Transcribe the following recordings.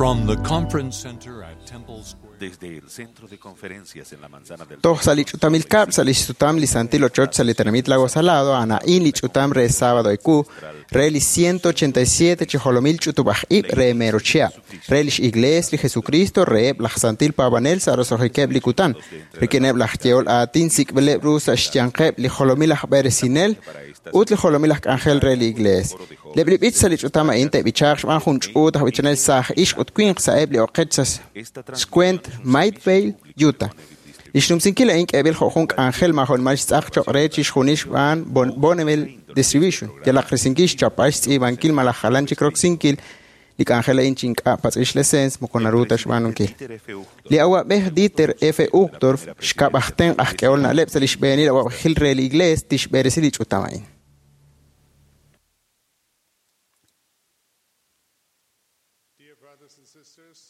From the conference center at Temple Square. Desde el centro de conferencias en la manzana del Toj sa li ch'utamil kab' sa li xsutam li Santil Ochoch sa li tenamit Lago Salado, ana'in li ch'utam re sábado eku, re li 187 chi jolomil ch'utub'aj ib' re Merochia, re lix Iglees li Jesucristo reheb' laj Santil Paab'anel sa' roso'jikeb' li kutan, rik'ineb' laj yehol aatin sik'b'ileb' ru sa' xyanqeb' li jolomil aj b'eresinel ut li jolomil aj k'anjel re li Iglees. Leb' li b'ich sa' li ch'utam a'in te'b'ichaaq xb'aan jun ch'uut aj b'ichanel saaj ixq ut winq sa'eb' li oqech sa' xkwent Midvale, Utah. Li xnumsinkil a'in k'eeb'il jo' jun k'anjel maajo'nimal xtz'aq cho'q re chixjunil xb'aan Bonneville Distribution. Yalaq risinkil xchapb'al xtz'iib'ankil malaj jalan chik roksinkil li k'anjel a'in chi ink'a' patz'il xleseens moko naru ta xb'aanunkil. Li awa'b'ej Dieter F. Uchtdorf xkab' aj tenq' aj k'ehol na'leb' sa' li xb'eenil awa'b'ejil re li Iglees tixb'eresi li ch'utam a'in.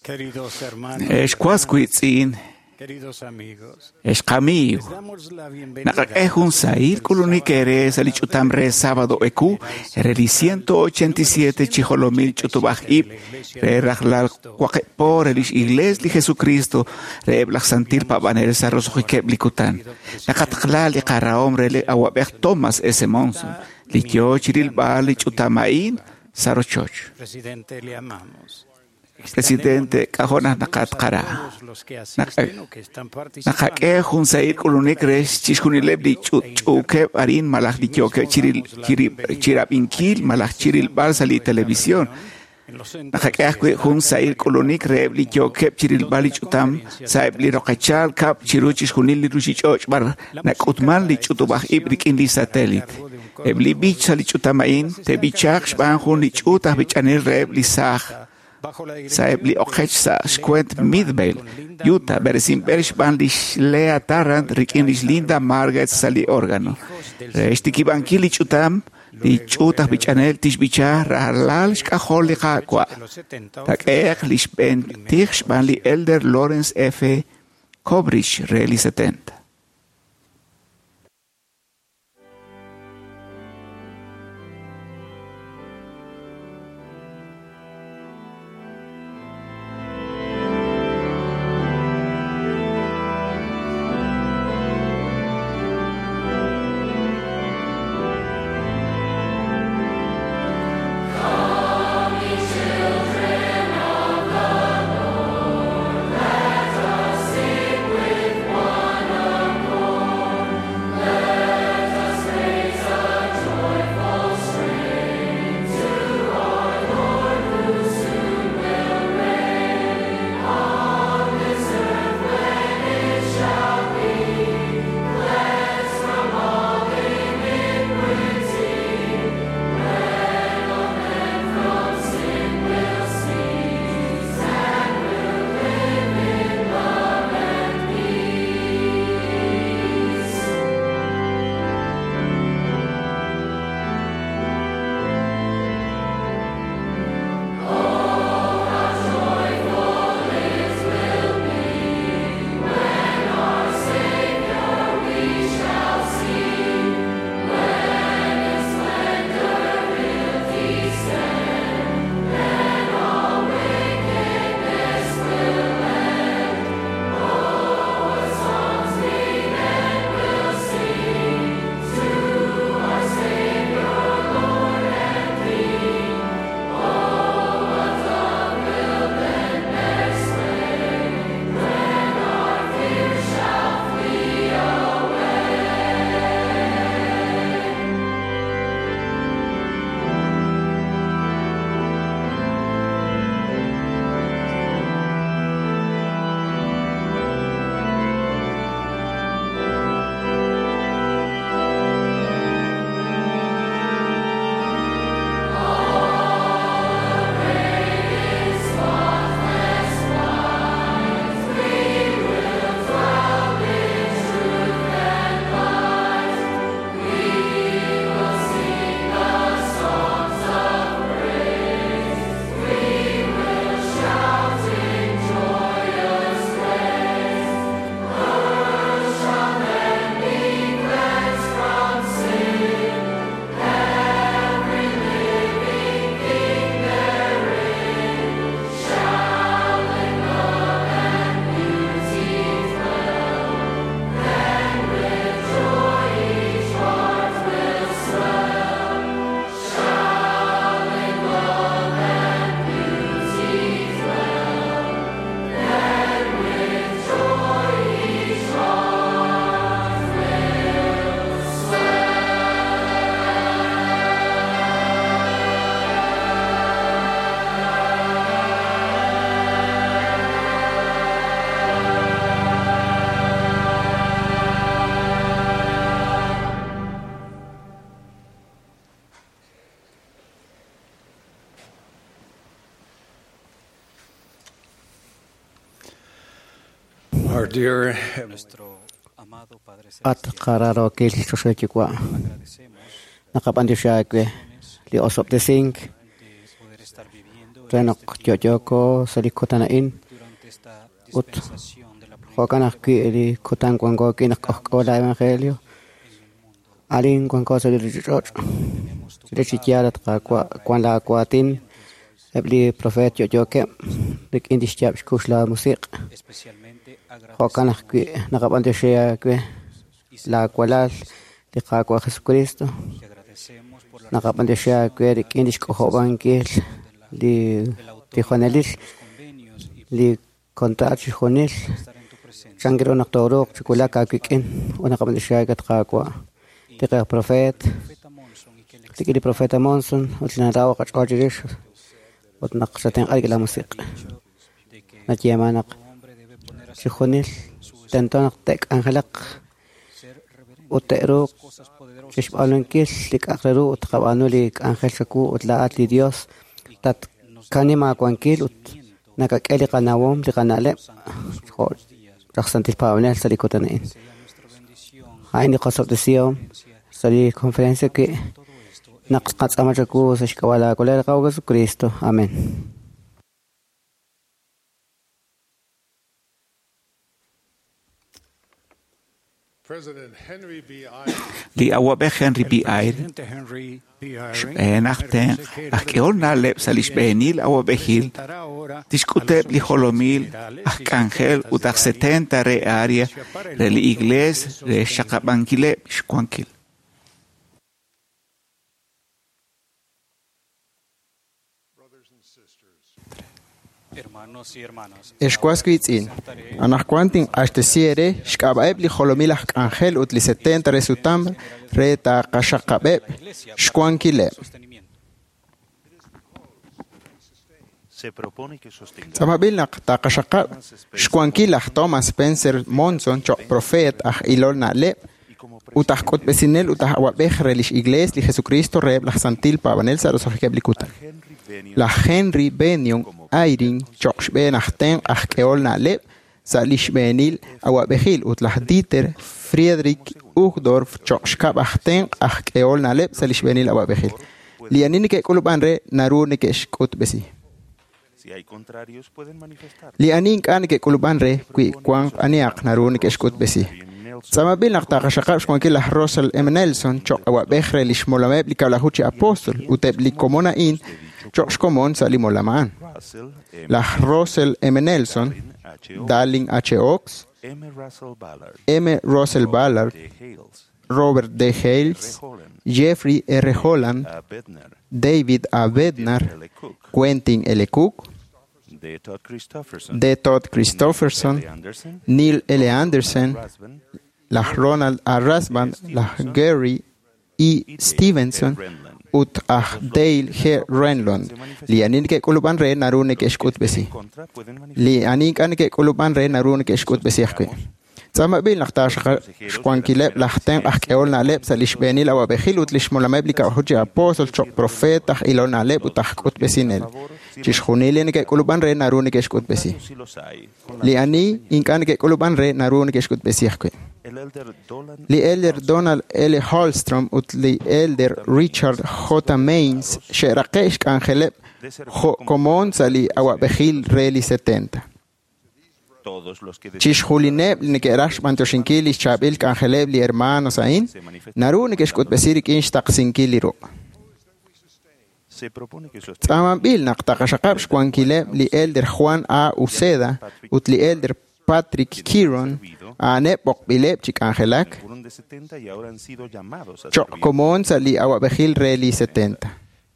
Queridos hermanos, Ex waswitz'in, queridos amigos, ex qamiiw, les damos la bienvenida naqak'e jun sahil k'ulunik eere sa' li ch'utam re sábado eku re li 187 chi jolomil ch'utub'aj ib' re rajlal waqib' po re lix Iglees li Jesucristo reheb' laj Santil Paab'anel sa' roso'jikeb' li kutan. Naqataqla li qarahom re li awa'b'ej Thomas S. Monson, li yoo chirilb'al li ch'utam a'in sa' rochoch. Presidente, le amamos. Presidente, k'ajo' naq naqatqara. Todos los que asisten o que están participando Naqak'e jun sahil k'ulunik re chixjunileb' li ch'uukeb' arin malaj li yookeb' chirab'inkil malaj chirilb'al sa' li televisión. en los centros Naqak'e ajwi' jun sahil k'ulunik reheb' li yookeb' chirilb'al li ch'utam sa'eb' li roqechal kab' chiru chixjunil li ruchich'och' b'ar nak'utman li ch'utub'aj ib' rik'in li satélite. Eb' li b'ich sa' li ch'utam a'in te'b'ichaaq xb'aan jun li ch'uut aj b'ichanel reheb' li saaj bajo la sa'eb' li oqech sa' xkwent Midvale, Utah, b'eresinb'el xb'aan lix Lea Tarrant rik'in lix Linda Margaret sa' li órgano. Re xtikib'ankil li ch'utam, li ch'uut aj b'ichanel tixb'icha rajlal xk'ajol li Qaawa'. de los 70 Tak'e'q li xb'een tij xb'aan li Elder Lawrence F. Cobrich re li 70. Children of the Lord, let us sing with one Our dear Heavenly At qararokil choxoyuwa naqab'antioxi aawe li osob'tesink re naq yo'yooko sa' li kutan a'in ut jo'kan ajwi' li kutan wanko wi' naq k'ojk'o la evangelio arin wanko sa' li ruuchich'och' chirix chi yaal at Qaawa' wan laawaatin eb' li profeet yo'yookeb' rik'in lix yaab' xkux la musiq' jo'kan ajwi' naqab'antioxi aawe laawalal li Qaawa' Jesucristo naqab'antioxi aawe rik'in lix k'ojob'ankil li tijonelil li kontraat chixjunil chan ru naq tooruuq chi wulak aawik'in ut naqab'antioxi aawe at Qaawa' li qaj profeet rik'in li profeta Monson ut li naraw qach'ool chirix ut naq xatenq'a rik'in la musiq' nayeeman naq chixjunil tento naq te'k'anjelaq ut te'ruuq chixb'aanunkil li k'a'aq re ru ut tqab'aanu li k'anjel chawu ut laa'at li Dios tatkanima aawankil ut nakak'e li qanawom li qana'leb' jo' raj santil paab'anel sa' li kutan a'in. A'in li qosob'tesihom sa' li conferencia wi' naq qatz'aama chawu sa' xk'ab'a' laakolel Qaawa' Jesucristo. Amén. President Henry B. Eyring, Li awab'ej Henry B. Eyring Presidente Henry B. Eyring, xb'een aj tenq' aj k'ehol na'leb' sa' li xb'eenil awab'ejil presentará ahora tixk'uteb' li jolomil aj k'anjel ut aj 70 re área re li iglees re xxaqab'ankileb' xwankil. brothers and sisters, hermanos y hermanas. Ex was wiitz'in, anaqwan tinq'axtesi eere xk'ab'a'eb' li jolomil aj k'anjel ut li 70 re sutam re taaqaxaqab'eb' xwankileb'. Se propone que sostengamos Tz'amab'il naq taaqaxaqab' xwankil aj Thomas Spencer Monson choq' profeet aj ilol na'leb' y como ut aj k'utb'esinel ut aj awab'ej re lix Iglees li Jesucristo reheb' laj Santil Paab'anel sa' roso'jikeb' li kutan. Henry Bennion Laj Henry Bennion Eyring choq' xb'een aj tenq' aj k'ehol na'leb' sa' li xb'eenil awab'ejil ut laj Dieter Friedrich Uchtdorf choq' xkab' aj tenq' aj k'ehol na'leb' sa' li xb'eenil awab'ejil. Li ani neke'k'ulub'an re naru neke'xk'utb'esi. Si hay contrarios pueden manifestar. Li ani ink'a' neke'k'ulub'an re wi wanq anihaq naru neke'xk'utb'esi. Tz'amab'il naq taaqaxaqab' xwankil laj Russell M. Nelson choq' awab'ej re li xmolameb' li kab'laju chi apóstol ut eb' li komon a'in choq' xkomon sa' li molam a'an. Russell M. Laj Russell M. Nelson, H. O. Darling H. Oaks, M. Russell Ballard, M. Russell Ballard, D. Hales, Robert D. Hales, Holland, Jeffrey R. Holland, A. Bednar, David A. Bednar, L. Cook, Quentin L. Cook, D. Todd Christofferson, D. Todd Christofferson, L. Anderson, Neil L. Anderson, Rasband, laj Ronald A. Rasband, laj Gary E. Stevenson ut aj Dale G. Renlund. Li ani neke'k'ulub'an re naru neke'xk'utb'esi. contra pueden manifestar. Li ani ink'a' neke'k'ulub'an re naru neke'xk'utb'esi ajwi'. Tz'amab'il naq taaxwankileb' laj tenq' aj k'ehol na'leb' sa' li xb'eenil awab'ejil ut li xmolameb' li kab'laju chi apóstol choq' profeet aj ilol na'leb' ut aj k'utb'esinel. Chixjunil li neke'k'ulub'an re naru neke'xk'utb'esi. Si los hay, con la Li ani ink'a' neke'k'ulub'an re naru neke'xk'utb'esi ajwi'. el elder Dolan Li Elder Donald L. Holstrom ut li Elder Richard J. Maines xe'raqe' xk'anjeleb' jo' komon sa' li awab'ejil re li 70. todos los que Chixjulineb' li neke'raj xb'antioxinkil li xchaab'il k'anjeleb' li hermanos a'in naru neke'xk'utb'esi rik'in xtaqsinkil li ruq'. se propone que sostengan Tz'amanb'il naq taqaxaqab' xwankileb' li Elder Juan A. Uceda ut li Elder Patrick Kearon a'aneb' b'oqb'ileb' chi k'anjelak el quórum de 70 y ahora han sido llamados a choq' servir komon sa' li awab'ejil re li 70.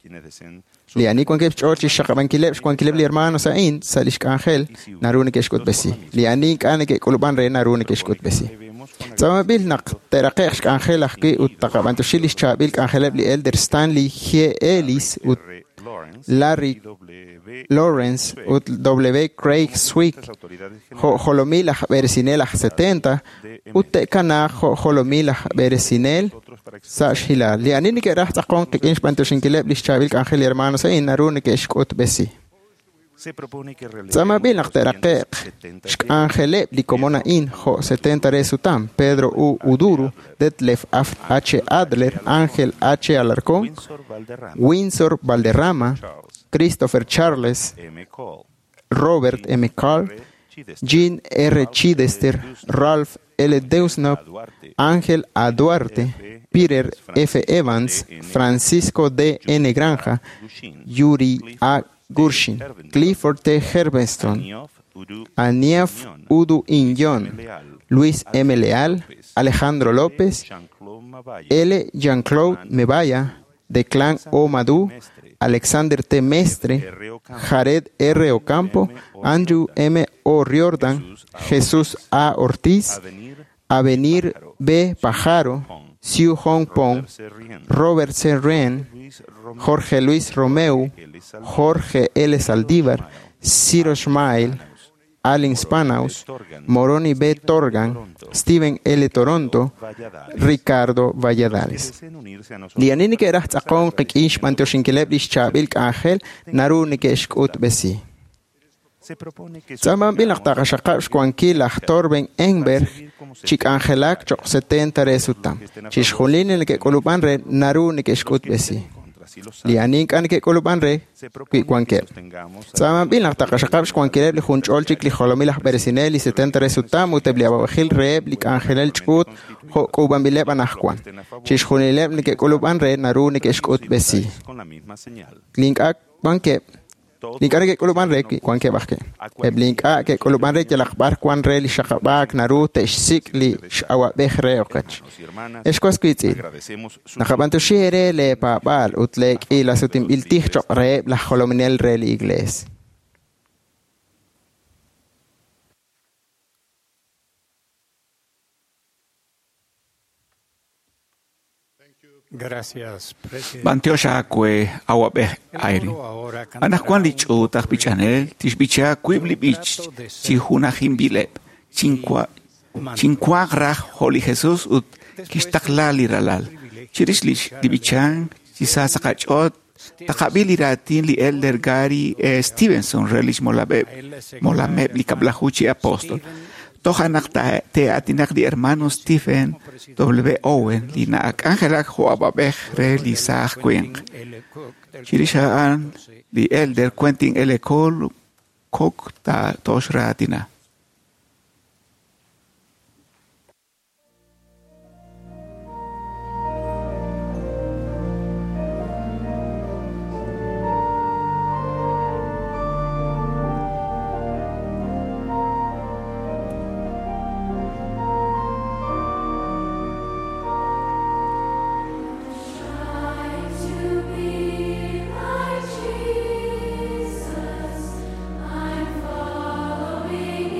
quienes deseen Li ani wankeb' xch'ool chi xxaqab'ankileb' xwankileb' li hermanos a'in sa' lix k'anjel naru neke'xk'utb'esi. Li ani ink'a' neke'k'ulub'an re naru neke'xk'utb'esi. debemos con Tz'amab'il naq te'raqe'q xk'anjel ajwi' ut taqab'antioxi lix chaab'il k'anjeleb' li Elder Stanley G. Ellis ut R. Lawrence, Larry W. Lawrence ut W. Craig Swick las autoridades jo' jolomil aj b'eresinel aj 70 ut te'kanaaq jo' jolomil aj b'eresinel otros para sa' xhilal. Li ani neke'raj tz'aqonk qik'in xb'antioxinkileb' lix chaab'il k'anjel li hermanos a'in naru neke'xk'utb'esi. Se propone que Tz'aamab'il naq te'raqe'q xk'anjeleb' li komon a'in jo' 70 re sutam, Pedro U. Uduru, Detlef H. Adler, Ángel H. Alarcón, Windsor Valderrama, Windsor Valderrama, Charles Christopher Charles, M. Cole, Robert M. Carl, Jean R. Chidester, Ralph L. Deusnop, Ángel A. Duarte, Peter F. Evans, Francisco D. N. Granja, Yuri A. Gurshin, Clifford T. Herbeston, Niof Udu Aniaf Udu Inyon, Luis M. Leal, Alejandro López, Jean-Claude Mabaya, L. Jean-Claude Mebaya, Declan O. Madu, Alexander T. Mestre, Jared R. Ocampo, Andrew M. O. Riordan, Jesús A. Ortiz, Avenir Avenir B. Pajaro, Siu Hong Pong, C. Rien, Robert C. Wren, Luis Romero, Jorge Luis Romeu, Jorge L. Saldívar, Ciro Schmael, Allen Spanaus, Moroni B. Torgan, Steven L. Toronto, Valladares. Ricardo Valladares. Deseen unirse a nosotros Li ani neke'raj tz'aqon qik'in xb'antioxinkileb' li xchaab'il k'anjel naru neke'xk'utb'esi. Se propone que Tz'aamab'il naq taqaxaqab' xwankil laj Torben Enberg chi k'anjelak choq' 70 re sutam. Chixjunil li neke'k'ulub'an re naru neke'xk'utb'esi. contra si los Li ani ink'a' neke'k'ulub'an re Se wi propone que wankeb'. sostengamos a Tz'aamab'il naq taqaxaqab' xwankileb' li junch'ol chik li jolomil aj b'eresinel li 70 re sutam ut eb' li awab'ejil reheb' li k'anjelel ch'uut jo' k'uub'anb'ileb' anajwan. Chixjunileb' neke'k'ulub'an re naru neke'xk'utb'esi. con la misma señal. Li ink'a' wankeb' Todos li ink'a' neke'k'ulub'an re wankeb' ajwi'. Eb' li ink'a' ke'k'ulub'an re yalaq b'ar wan re li xaqab'aak naru te'xsik' li x'awab'ej re oqech. hermanos y hermanas, Ex was wiitz'in, agradecemos su naqab'antuxi eere leepaab'aal ut leek'iilasutinb'il tij choq' reheb' laj jolominel re li iglees. Gracias, presidente. B'antiox aawe awab'ej El Ayrin. coro ahora cantará Anajwan li un ch'uut aj b'ichanel tixb'icha wiib' li b'ich chi junajinb'ileb' chinkuaq raj jo' li Jesus ut kixtaqla li ralal. Chirix li b'ichan chi sa sa qach'oot taqab'il li raatin li Elder Gary E. Stevenson re lix molameb' li kab'laju chi apóstol. Toj anaq te'aatinaq li hermano Stephen W. Owen li na'ak'anjelak jo' awab'ej re li saaj winq. Chirix a'an li Elder Quentin L. Cole Cook ta tox raatina. To be like Jesus, I'm following.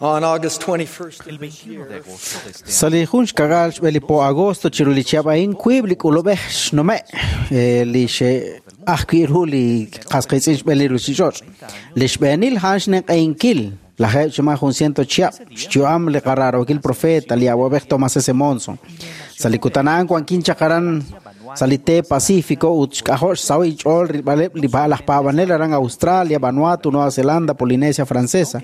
On August 21st of this year, Sa li jun xka'k'aal xb'e li po agosto chiru li chihab' a'in wiib' li k'ulub'ej xnume' li xe'ajwi' ru li qas qiitz'in xb'een li ruuchich'och'. Li xb'eenil a'an xninq'ehinkil lajeeb' chi mas jun ciento chihab' xyu'am li qaraarookil profeta li awab'ej Thomas S. Monson. Sa li kutan a'an wankin chaq aran sa li teep Pacífico ut xk'ajo' xsahil ch'ool rilb'aleb' li laj paab'anel aran Australia, Vanuatu, Nueva Zelanda, Polinesia Francesa.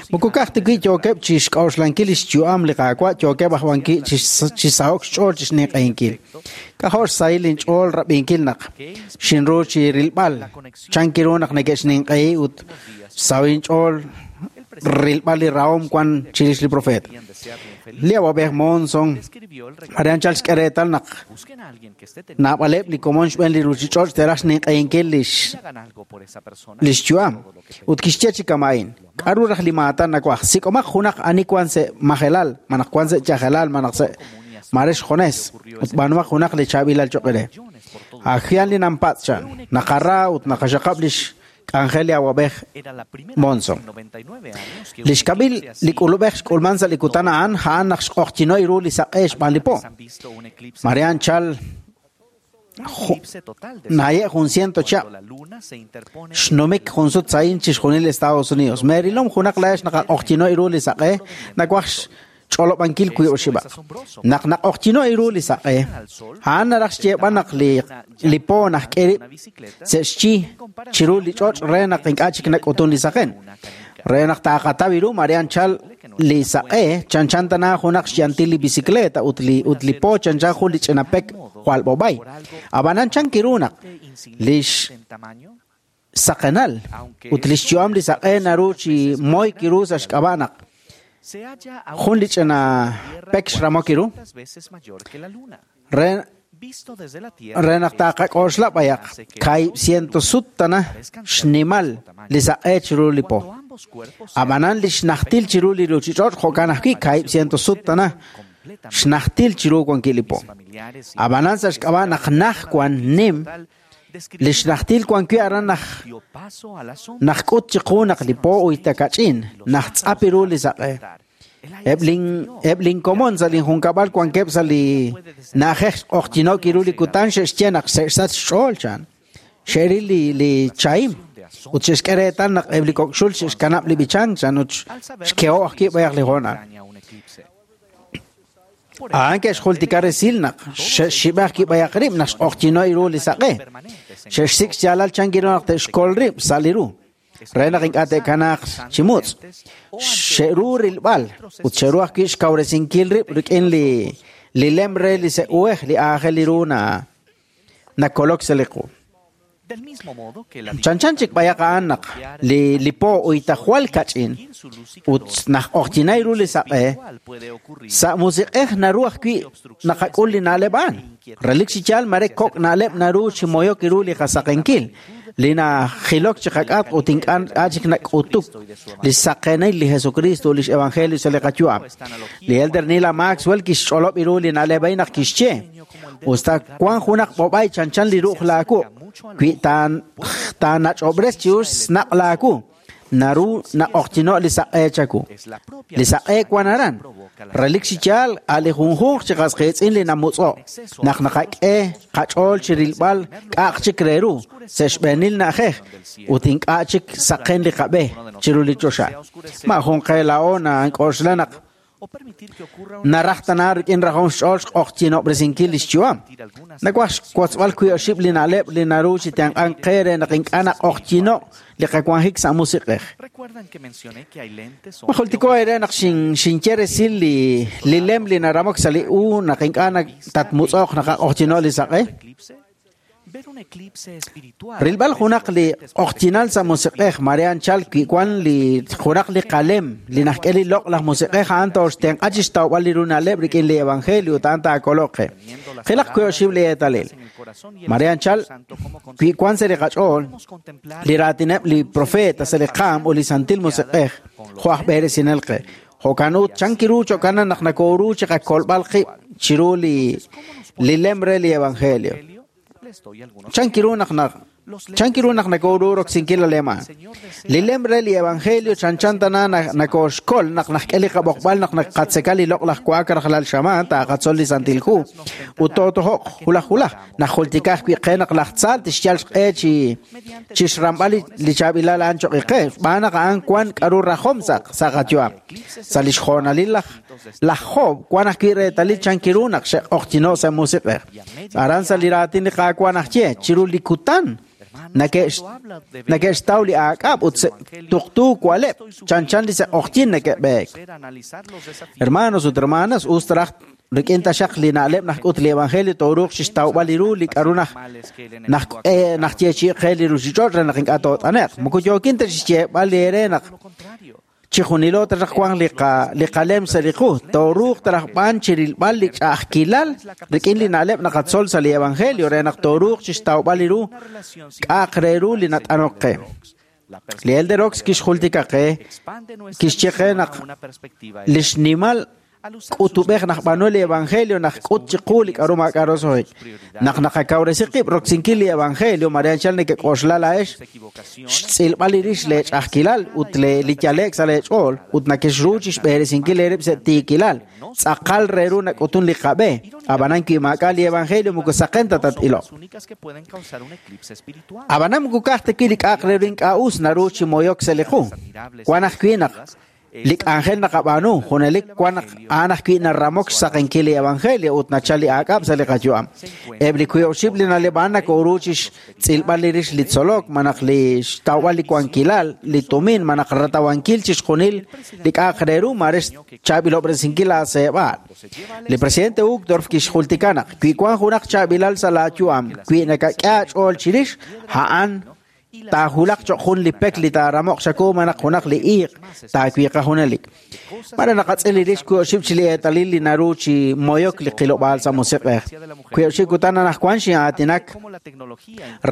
Moko ka'aj ta wi' yookeb' chi xk'a'uxlankil li xyu'am li Qaawa' yookeb' aj wan wi' chi saho'k xch'ool chi xninq'ehinkil. K'ajo' xsahil inch'ool rab'inkil naq xinru chi rilb'al chanki ru naq neke'xninq'ehi ut xsahil inch'ool rilb'al li rahom wan chirix li profeta. Li awab'ej Monson aran chal xk'e reetal naq naab'aleb' li komon xb'een li ruuchich'och' te'raj xninq'ehinkil li xyu'am ut kixye chi kama'in k'aru raj li maatan nawaj sik'omaq junaq ani wan sa' majelal malaj wan sa' chajelal malaj sa' mare xjones ut b'aanumaq junaq li chaab'ilal choq' re. Ajian li nampatz' chan naqara ut naqaxaqab' li xk'anjel li awab'ej Monson. Li xkab'il li k'ulub'ej xk'ulman sa' li kutan a'an a'an naq xq'oqyinoy ru li saq'e xb'aan li po. Marian chal naye' jun ciento chihab' xnumik jun sut sa'in chi xjunil Estados Unidos. Merilom junaq la'ex naqaq'oqyinoy ru li saq'e nawaj xch'olob'ankil wiib' oxib'aq. Naq naq'oqyinoy ru li saq'e a'an naraj xyeeb'al naq li po najk'e rib' sa' xchi chiru li ch'och' re naq ink'a' chik nak'utun li saqen. Re naq taaqataw ru Marian chal li saq'e chanchan tana junaq xyantil li bicicleta ut li po chanchan jun li ch'ina pek jwal b'ob'ay. Ab'anan chanki ru naq li xsaqenal ut li xyu'am li saq'e naru chi moy kiru sa' xk'ab'a' naq jun li ch'ina pek xramok iru re naq taaqak'oxla b'ayaq kaahib' ciento sut tana xnimal li saq'e chiru li po. Ab'anan li xnajtil chiru li ruuchich'och' jo'kan ajwi' kaahib' ciento sut tana xnajtil chiru wankil li po. Ab'anan sa' xk'ab'a' naq naj wan nim li xnajtil wan wi' aran naj k'ut chiqu naq li po uyta kach'in naj tz'ap ru li saq'e. Eb' linkomon sa' linjunkab'al wankeb' sa' li na'ajej xq'oqyino'k ru li kutan xe'xye naq xe'xsach xch'ool chan. Xe'ril li chahim ut xe'xk'e reetal naq eb' li kok'xul xe'xkanab' li b'ichank chan ut xkeho' ajwi' b'ayaq li hoonal. A'an ke'xjultika resil naq xe'xxib'aj kib'ayaq rib' naq xq'oqyino'y ru li saq'e. Xe'xsik' xyaalal chanki ru naq te'xkol rib' sa' li ru. Re naq ink'a' te'kanaaq chi mutz'. Xe'ru rilb'al ut xe'ru ajwi' xkawresinkil rib' rik'in li lem re li se'uej li aajel li ru nakolok sa' li qu. Chanchan chik b'ayaq a'an naq li po uyta jwal kach'in ut naq q'oqyinay ru li saq'e sa' musiq'ej naru ajwi' naqak'ul li na'leb' a'an. Relik chi yaal mare kok' na'leb' naru chi moyok ru li qasaqenkil li najilok chi qak'atq ut ink'a' chik nak'utuk li xsaqenil li Jesucristo ut li xevangelio sa' li qayu'am. Li Elder Neal A. Maxwell kixch'olob' ru li na'leb' a'in naq kixye usta wan junaq b'ob'ay chanchan li ru'uj laawu wi' taanach'ob'res chi us xnaq' laawu naru naq'oqyino' li saq'e chawu. Li saq'e wan aran. Relik chi yaal a' li junjunq chi qas qiitz'in li namutz'o' naq naqak'e qach'ool chi rilb'al k'a'aq chik re ru sa' xb'eenil na'ajej ut ink'a' chik saqen li qab'e chiru li choxa. Ma jun qe laa'o nank'oxla naq naraj tana rik'in rajom xch'ool xq'oqyinob'resinkil li xyu'am. Nawaj xwotzb'al wiib' oxib' li na'leb' li naru chi tenq'ank qe re naq ink'a' naq'oqyino' li qawanjik sa' musiq'ej. Ma jultiko eere naq xinye resil li lem li naramok sa' li u naq ink'a' tatmutz'oq naq aq'oqyino' li saq'e. Rilb'al junaq li q'oqyinal sa' musiq'ej Marian chal wi' wan li junaq li qalem li najk'e li loq' laj musiq'ej a'an toxtenq'a chi xtawb'al li ru na'leb' rik'in li evangelio ut a'an taakoloq qe. Qilaq wiib' oxib' li eetalil. Marian chal wi' wan sa' li qach'ool li raatineb' li profeta sa' li qaam ut li santil musiq'ej jo' aj b'eresinel qe. Jo'kan ut chanki ru cho'kanan naq nakoru chi qakolb'al qib' chiru li lem re li evangelio. Chanki ru naq Chan kiru naq nakoru roksinkil li lem a'an. Li lem re li evangelio chanchan tana nakoxkol naq najk'e li qab'oqb'al naq naqatzeka li loq'laj wa'ak rajlal xamaan taaqatzol li Santil Hu ut tootojo'q wulaj wulaj. Najultika ajwi' qe naq laj tza tixyal xq'e chi chixramb'al li chaab'ilal a'an choq' qe, xb'aan naq a'an wan k'a'ru rajom sa' sa' qayu'am. Sa' lix hoonalil laj laj Job wan ajwi' reetalil chan kiru naq xe'q'oqyino' sa' musiq'ej. Aran sa' li raatin li Qaawa' naxye, chiru li kutan neke'xtaw li aak'ab' ut tuqtu wa'leb', chanchan li se'q'oqyin neke'b'eek. Hermanos ut hermanas, us taraj rik'in taxaq li na'leb' naxk'ut li evangelio tooruuq chixtawb'al li ru li k'a'ru naj naj najyeechi'i qe li ruchich'och' re naq ink'a' toot'ane'q. Moko yookin ta chixyeeb'al eere naq chijunilo taraj wanq li qa li qalem sa' li qu, tooruuq taraj b'an chirilb'al li ch'a'ajkilal rik'in li na'leb' naqatzol sa' li evangelio re naq tooruuq chixtawb'al li ru k'a'aq re ru li nat'anok qe. Li Elder Oaks kixjultika qe, kixye qe naq li xnimal k'utub'ej naj b'aanu li evangelio najk'ut chiqu li k'a'ru maak'a' roso'jik. Naq naqakawresi qib' roksinkil li evangelio, mare anchal nekek'oxla laa'ex xtz'ilb'al li rix lee ch'a'ajkilal ut li yale'k sa' lee ch'ool ut nakexru chixb'eresinkil eerib' sa' tiikilal. Tz'aqal re ru nak'utun li qab'e. Ab'anan wi maak'a' li evangelio moko saqen ta tat-iloq. Ab'anan moko ka'aj ta wi' li k'a'aq re ru ink'a' us naru chi moyok sa' li qu. Wan ajwi' naq li k'anjel naqab'aanu junelik wan naq a'an ajwi' naramok xsaqenkil li evangelio ut nachal li aak'ab' sa' li qayu'am. Eb' li wiib' oxib' li na'leb' a'an nakoru chixtz'ilb'al li rix li tzolok, malaj li xtawb'al li wankilal, li tumin, malaj ratawankil chixjunil li k'a'aq re ru mare xchaab'ilob'resinkil laaseeb'aal. Li presidente Uchtdorf kixjultika naq wi wan junaq chaab'ilal sa' laayu'am, wi nakak'e aach'ool chirix, a'an taajulaq choq' jun li pek li taaramoq xaku malaj junaq li iiq taawiiqa junelik. Mare naqatz'il li rix wiib' oxib' chi li eetalil li naru chi moyok li qilob'aal sa' musiq'ej. Wiib' oxib' kutan anaqwan xin'aatinak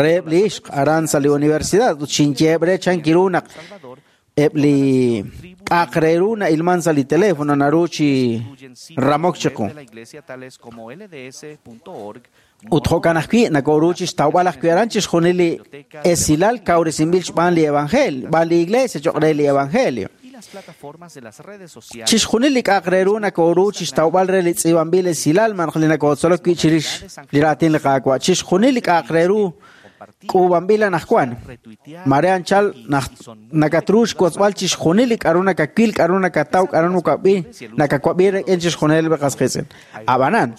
reheb' li ixq aran sa' li universidad ut xinyeheb' re chan kiru naq eb' li k'a'aq re ru na'ilman sa' li teléfono naru chi ramok chiqu. Ut jo'kan ajwi' nakoru chixtawb'al ajwi' aran chixjunil li esilal kawresinb'il xb'aan li evangelio, xb'aan li iglesia choq' re li evangelio. Chixjunil li k'a'aq re ru nakoru chixtawb'al re li tz'iib'anb'il esilal malaj li nakotzolok wi' chirix li raatin li Qaawa'. Chixjunil li k'a'aq re ru k'uub'anb'il anaqwan. Mare anchal nakatru xwotzb'al chixjunil li k'a'ru nakawil, k'a'ru nakataw, k'a'ru nakawab'i, nakawab'i rik'in chixjunil li qas qiitz'in. Ab'anan,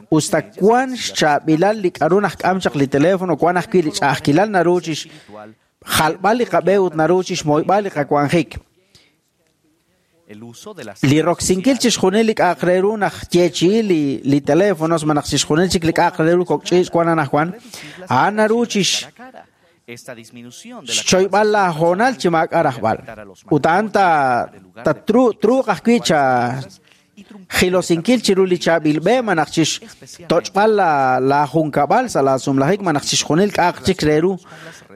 us ta wan xchaab'ilal li k'a'ru najk'am chaq li teléfono, wan ajwi' li ch'a'ajkilal naru chixjalb'al li qab'e ut naru chixmoyb'al li qawanjik. Li roksinkil chixjunil li k'a'aq re ru najyeechi'i li teléfonos malaj chixjunil chik li k'a'aq re ru kok' ch'iich' wan anaqwan, a'an naru chix xchoyb'al laahoonal chi maak'a' rajb'al. Ut a'an ta ta truuq ajwi' cha jilosinkil chiru li chaab'il b'e malaj chixtoch'b'al laajunkab'al sa' laasumlajik malaj chixjunil k'a'aq chik re ru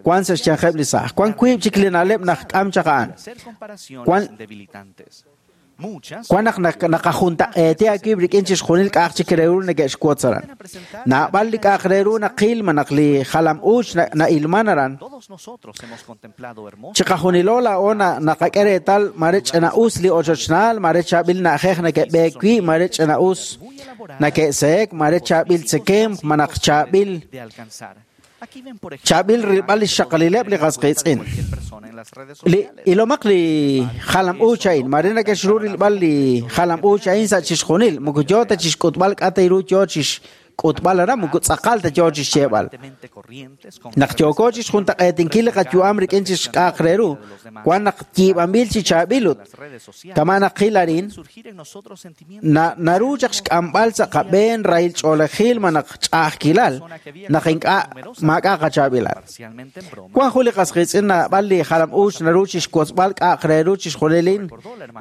wan sa' xyanqeb' li saaj. Wan wiib' chik li na'leb' najk'am chaq a'an. Wan wan naq naqajuntaq'eeti aawib' rik'in chixjunil k'a'aq chik re ru neke'xwotz aran. Naab'al li k'a'aq re ru naqil malaj li jalam uuch na'ilman aran. Chiqajunilo laa'o naqak'e reetal mare ch'ina'us li ochochnaal, mare chaab'il na'ajej neke'b'eek wi', mare ch'ina'us neke'seek, mare chaab'il tzekemq, malaj chaab'il chaab'il rilb'al li xxaqalileb' li qas qiitz'in. Li ilomaq li jalam uuch a'in, mare neke'xru rilb'al li jalam uuch a'in sa' chixjunil, moko yoo ta chixk'utb'al k'a' ta ru yoo chixk'utb'al aran, moko tz'aqal ta yoo chixyeeb'al. Naq yooko chixjuntaq'eetinkil li qayu'am rik'in chixk'a'aq re ru, wan naq yiib'anb'il chi chaab'il ut kama' naqil arin, naru chaq xk'amb'al sa' qab'een rahil ch'oolejil malaj ch'a'ajkilal naq ink'a' maak'a' qachaab'ilal. Wan jun li qas qiitz'in naab'al li jalam uuch naru chixwotzb'al k'a'aq re ru chixjunilin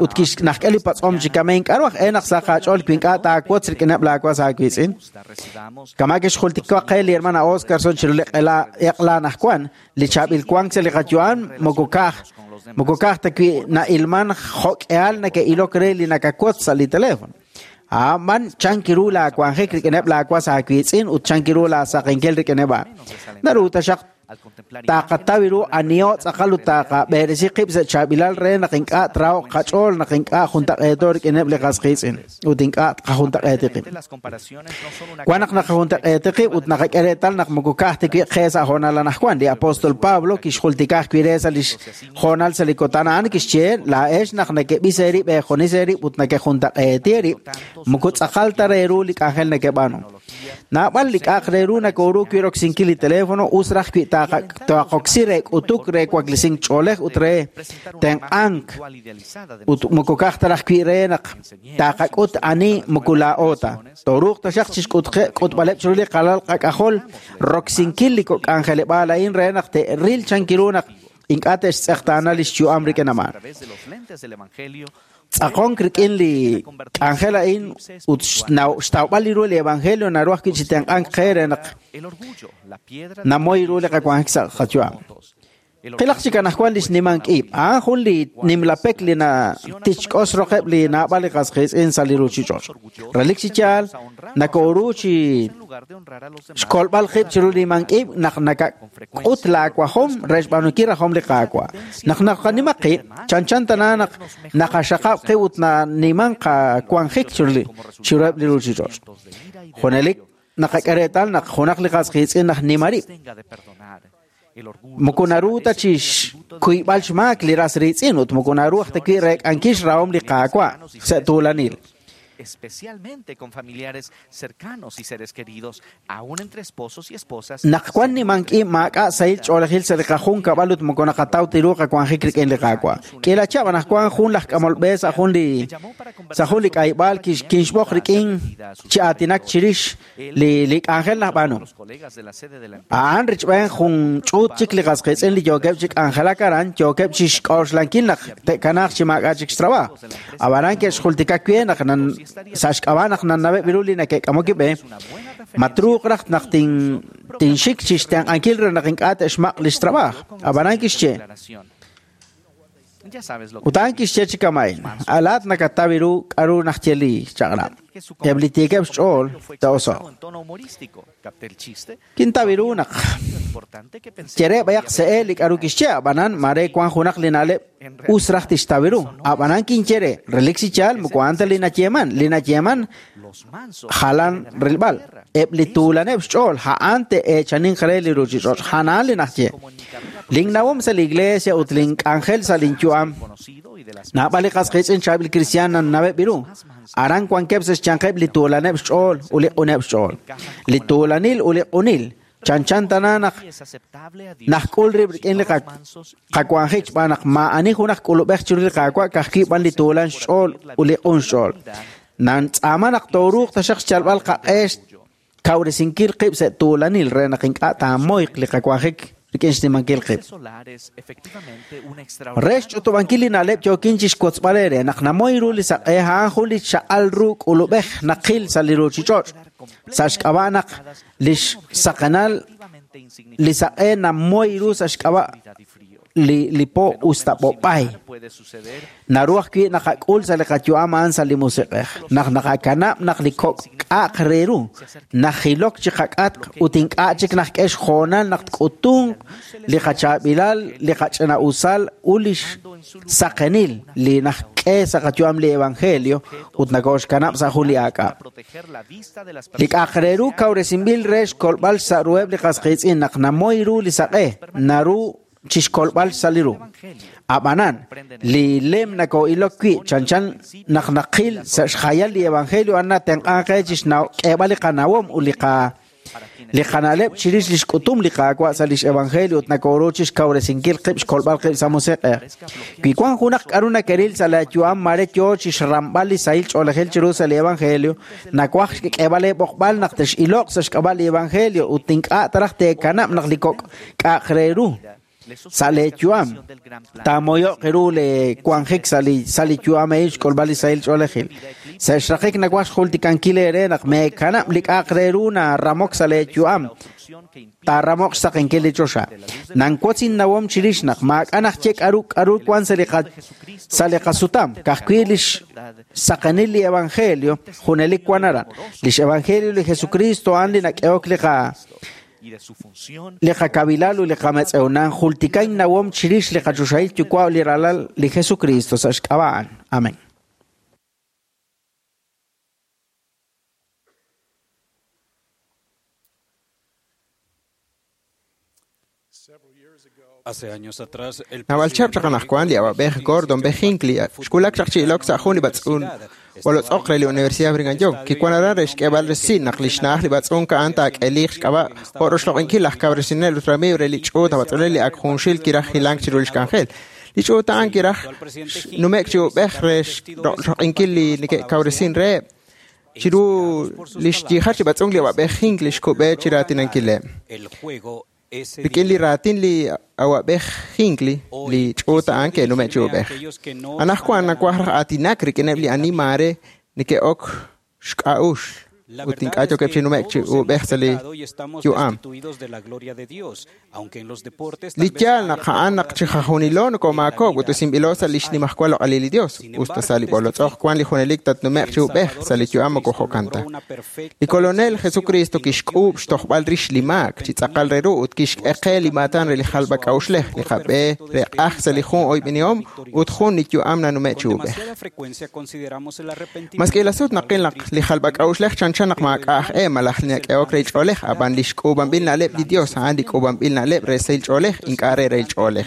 ut kixnajk'e li patz'om chi kama ink'a' ru aj e naq sa' qaach'ool wi ink'a' taawotz rik'ineb' laawas aawiitz'in. Kama kixjultika qe li hermana Oscarson chiru li q'ela eq'la anaqwan, li chaab'il wank sa' li qayu'am moko ka'aj moko ka'aj ta wi' na'ilman jo'k'ihal neke'ilok re li nakawotz sa' li teléfono. A'an chan kiru laawanjik rik'ineb' laawas aawiitz'in ut chan kiru laasaqenkil rik'ineb' a'an. Naru taxaq Taqataw ru aniho tz'aqal ut taqab'eresi qib' sa' chaab'ilal re naq ink'a' trahoq qach'ool naq ink'a' juntaq'eeto rik'ineb' li qas qiitz'in ut ink'a' qajuntaq'eeti qib'. Wan naq naqajuntaq'eeti qib' ut naqak'e reetal naq moko ka'aj ta wi' qe sa' hoonal anaqwan. Li apóstol Pablo kixjultika ajwi' re sa' lix hoonal sa' li kutan a'an kixye laa'ex naq nekeb'is eerib' eejunes eerib' ut nekejuntaq'eeti eerib' moko tz'aqal ta re ru li k'anjel nekeb'aanu. Naab'al li k'a'aq re ru nakooru wi' roksinkil li teléfono us raj wi' taaqoksi re k'utuk re waklisink ch'oolej ut re tenq'ank ut moko ka'aj ta raj wi' re naq taqak'ut ani moko laa'o ta. Tooruuq taxaq chixk'utb'aleb' chiru li qalal qak'ajol roksinkil li k'anjeleb'aal a'in re naq te'ril chankiru naq ink'a' te'xtz'eqtaana li xyu'am rik'in a'an. Tz'aqonk rik'in li k'anjel a'in ut xtawb'al li ru li evangelio naru ajwi' chi tenq'ank qe re naq namoy ru li qawanjik sa' qayu'am. Qilaq chik anaqwan li xnimank ib'. A'an jun li nimlapek li natichk'os roqeb' li naab'al li qas qiitz'in sa' li ruuchich'och'. Relik chi yaal nakooru chi xkolb'al qib' chiru li nimank ib' naq nakak'ut laawajom re xb'aanunkil rajom li Qaawa'. Naq naqanima qib', chanchan tana naq naqaxaqab' qib' ut naniman qawanjik chiruheb' li ruuchich'och'. Junelik naqak'e reetal naq junaq li qas qiitz'in naq nima rib'. Moko naru ta chi xkuyb'al xmaak li ras riitz'in ut moko naru aj ta wi' reek'ankil xrahom li Qaawa' sa' tuulanil. Especialmente con familiares cercanos y seres queridos, aún entre esposos y esposas. Naq wan nimank ib' maak'a' sahil ch'oolejil sa' li qajunkab'al ut moko naqataw ta ru qawanjik rik'in li Qaawa'. K'iila chihab' anaqwan jun laj k'amol b'e sa' jun li k'ayb'aal kinxb'oq rik'in chi aatinak chirix li k'anjel najb'aanu. A'an richb'een jun ch'uut chik li qas qiitz'in li yookeb' chi k'anjelak aran, yookeb' chi xk'oxlankil naq te'kanaaq chi maak'a' chik xtrabajo. Ab'anan ke'xjultika wi' naq sa' xk'ab'a' naq nanaweb' ru li neke'k'amok b'e, matruuq raj naq tinxik chi xtenq'ankil re naq ink'a' te'xmaq' li xtrabajo. Ab'anan kixye. Ut a'an kixye chi kama'in, alaat nakataw ru k'aru najye li chaq'rab'. Eb' li tiikeb' xch'ool te'oso'q. Kintaw ru naq yere b'ayaq se'e li k'aru kixye, ab'anan mare wan junaq li na'leb' us raj tixtaw ru. Ab'anan kinyere, relik chi yaal moko a'an ta li nayeeman, li nayeeman jalan rilb'al. Eb' li tuulaneb' xch'ool a'an te'eechaninq re li ruuchich'och', a'an li najye. Linnawom sa' li iglesia ut link'anjel sa' linyu'am. Naab'al li qas qiitz'in chaab'il kristiaan nanaweb' ru. Aran wankeb' sa' xyanqeb' li tuulaneb' xch'ool ut li q'uneb' xch'ool. Li tuulanil ut li q'unil chanchan tana naq najk'ul rib' rik'in li qawanjik xb'aan naq maa'ani junaq k'ulub'ej chiru li Qaawa' ka'ajwi' b'an li tuulan xch'ool ut li q'un xch'ool. Nantz'aama naq tooruuq taxaq xyalb'al qaq'e kawresinkil qib' sa' tuulanil re naq ink'a' taamoyq li qawanjik rik'in xnimankil qib'. Re xch'utub'ankil li na'leb' yookin chi xwotzb'al eere naq namoy ru li saq'e a'an jun li chaq'al ru k'ulub'ej naqil sa' li ruuchich'och'. Sa' xk'ab'a' naq li xsaqenal li saq'e namoy ru sa' xk'ab'a' li po us ta b'ob'ay. Naru ajwi' naqak'ul sa' li qayu'am a'an sa' li musiq'ej. Naq naqakanab' naq li kok' k'a'aq re ru, najilok chi qak'atq ut ink'a' chik najk'e xjoonal naq tk'utunq li qachaab'ilal, li qach'ina'usal ut li xsaqenil li najk'e sa' qayu'am li evangelio ut nakooxkanab' sa' jun li aak'ab'. Li k'a'aq re ru kawresinb'il re xkolb'al sa' ruheb' li qas qiitz'in naq namoy ru li saq'e, naru chi xkolb'al sa' li ru. Ab'anan, li lem nakoo'ilok wi' chanchan naq naqil sa' xjayal li evangelio a'an natenq'anq qe chi xk'eeb'al li qanawom ut li qana'leb' chirix li xk'utum li Qaawa' sa' lix evangelio ut nakooru chi xkawresinkil qib' xkolb'al qib' sa' musiq'ej. Wi wan junaq k'aru nakeril sa' laayu'am mare yoo chi xramb'al li sahil ch'oolejil chiru sa' li evangelio, nawaj xk'eeb'al eeb'oqb'al naq tex'iloq sa' xk'ab'a' li evangelio ut ink'a' taraj teekanab' naq li kok' k'a'aq re ru sa' leeyu'am taamoyo'q ru le wanjik sa' li yu'am a'in xk'ulb'al li sahil ch'oolejil. Sa' xraqik nawaj xjultikankil eere naq meekanab' li k'a'aq re ru naramok sa' leeyu'am taaramoq xsaqenkil li choxa. Nanwotz innawom chirix naq maak'a' najye k'aru wan sa' li qasutam, ka'ajwi' li xsaqenil li evangelio junelik wan aran. Lix evangelio li Jesucristo a'an li nak'ehok li Li qakawilal ut li qametz'ew nanjultikain nawom chirix li qachoxahil Yuwa' ut li Ralal li Jesucristo sa' xk'ab'a' a'an. Amén. Naab'al chihab' chaq anaqwan li awa'b'ej Gordon B. Hinckley xwulak chaq chi ilok sa' jun li b'atz'un b'olotz'oq re li Universidad Brigham Young kiwan aran re xk'eeb'al resil naq li xna'aj li b'atz'unk a'an taak'eliq xk'ab'a' jo' roxloq'inkil laj kawresinel ut ramiiw re li ch'uut aj b'atz'unel li ak junxil kiraj hilank chiru li xk'anjel. Li ch'uut a'an kiraj nume'k chi ub'ej re roxloq'inkil li neke'kawresin reheb'. Chiru li xyiijach li b'atz'unk li awa'b'ej Hinckley xkub'e chi raatinankileb'. Rik'in li raatin li awa'b'ej Hinckley, li ch'uut a'an ke'nume' chi ub'ej. Anaqwan nawaj raj aatinak rik'ineb' li ani maare neke'ok xk'a'uxl ut ink'a' yookeb' chi nume'k chi ub'ej sa' li yu'am. Li yaal naq a'an naq chi jajunilo nokomaakok ut usinb'ilo sa' li xnimajwal loq'alil li Dios, usta sa' li b'olotz'oq wan li junelik tatnume'q chi ub'ej sa' li yu'am moko jo'kan ta. Li Kolonel Jesucristo kixk'uub' xtojb'al rix li maak chi tz'aqal re ru ut kixk'e qe li maatan re li jalb'ak'a'uxlej, li qab'e re q'ajk sa' li jun oyb'enihom ut jun li yu'am nanume' chi ub'ej. Maski la sut naqil naq li jalb'ak'a'uxlej chanchan naq maak'a' aj e malaj li nak'ehok re ch'oolej, ab'an li xk'uub'anb'il na'leb' li Dios a'an li k'uub'anb'il na'leb' re sahil ch'oolej, ink'a' re rahil ch'oolej.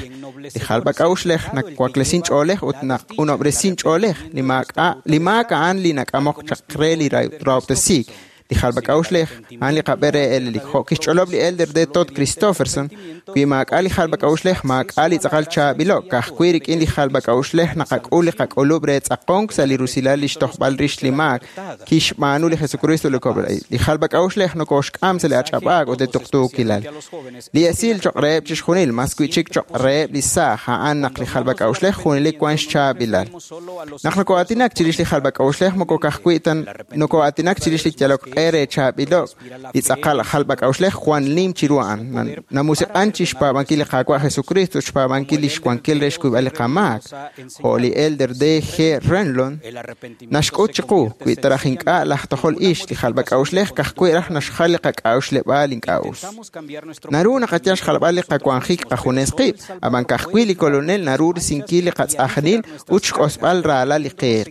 Li jalb'ak'a'uxlej nawaklesin ch'oolej ut naq'unob'resin ch'oolej. Li maak a'an li nak'amok chaq re li rahob'tesiik. Li jalb'ak'a'uxlej a'an li qab'e re elelik. Jo' kixch'olob' li Elder D. Todd Christofferson, wi maak'a' li jalb'ak'a'uxlej maak'a' li tz'aqal chaab'ilo', ka'ajwi' rik'in li jalb'ak'a'uxlej naqak'ul li qak'ulub' re tz'aqonk sa' li rusilal li xtojb'al rix li maak kixb'aanu li Jesucristo li Kolonel. Li jalb'ak'a'uxlej nokoxk'am sa' li ach'ab'aak ut li tuqtuukilal. Li esil choq' reheb' chixjunil, mas wi'chik choq' reheb' li saaj, a'an naq li jalb'ak'a'uxlej junelik wan xchaab'ilal. Naq noko'aatinak chirix li jalb'ak'a'uxlej moko ka'ajwi' ta noko'aatinak chirix li yalok q'e re chaab'ilo' li tz'aqal jalb'ak'a'uxlej jwan nim chiru a'an. Namusiq'an chi xpaab'ankil li Qaawa' Jesucristo ut xpaab'ankil li xwankil re xkuyb'al li qamaak. Jo' li Elder D. G. Renlund naxk'ut chiqu wi taraj ink'a' laj tojol ix li jalb'ak'a'uxlej ka'ajwi' raj naxjal li qak'a'uxleb'aal ink'a' us. Naru naqayal xjalb'al li qawanjik qajunes qib', ab'an ka'ajwi' li Kolonel naru risinkil li qatz'ajnil ut xk'osb'al raalal li qiiq.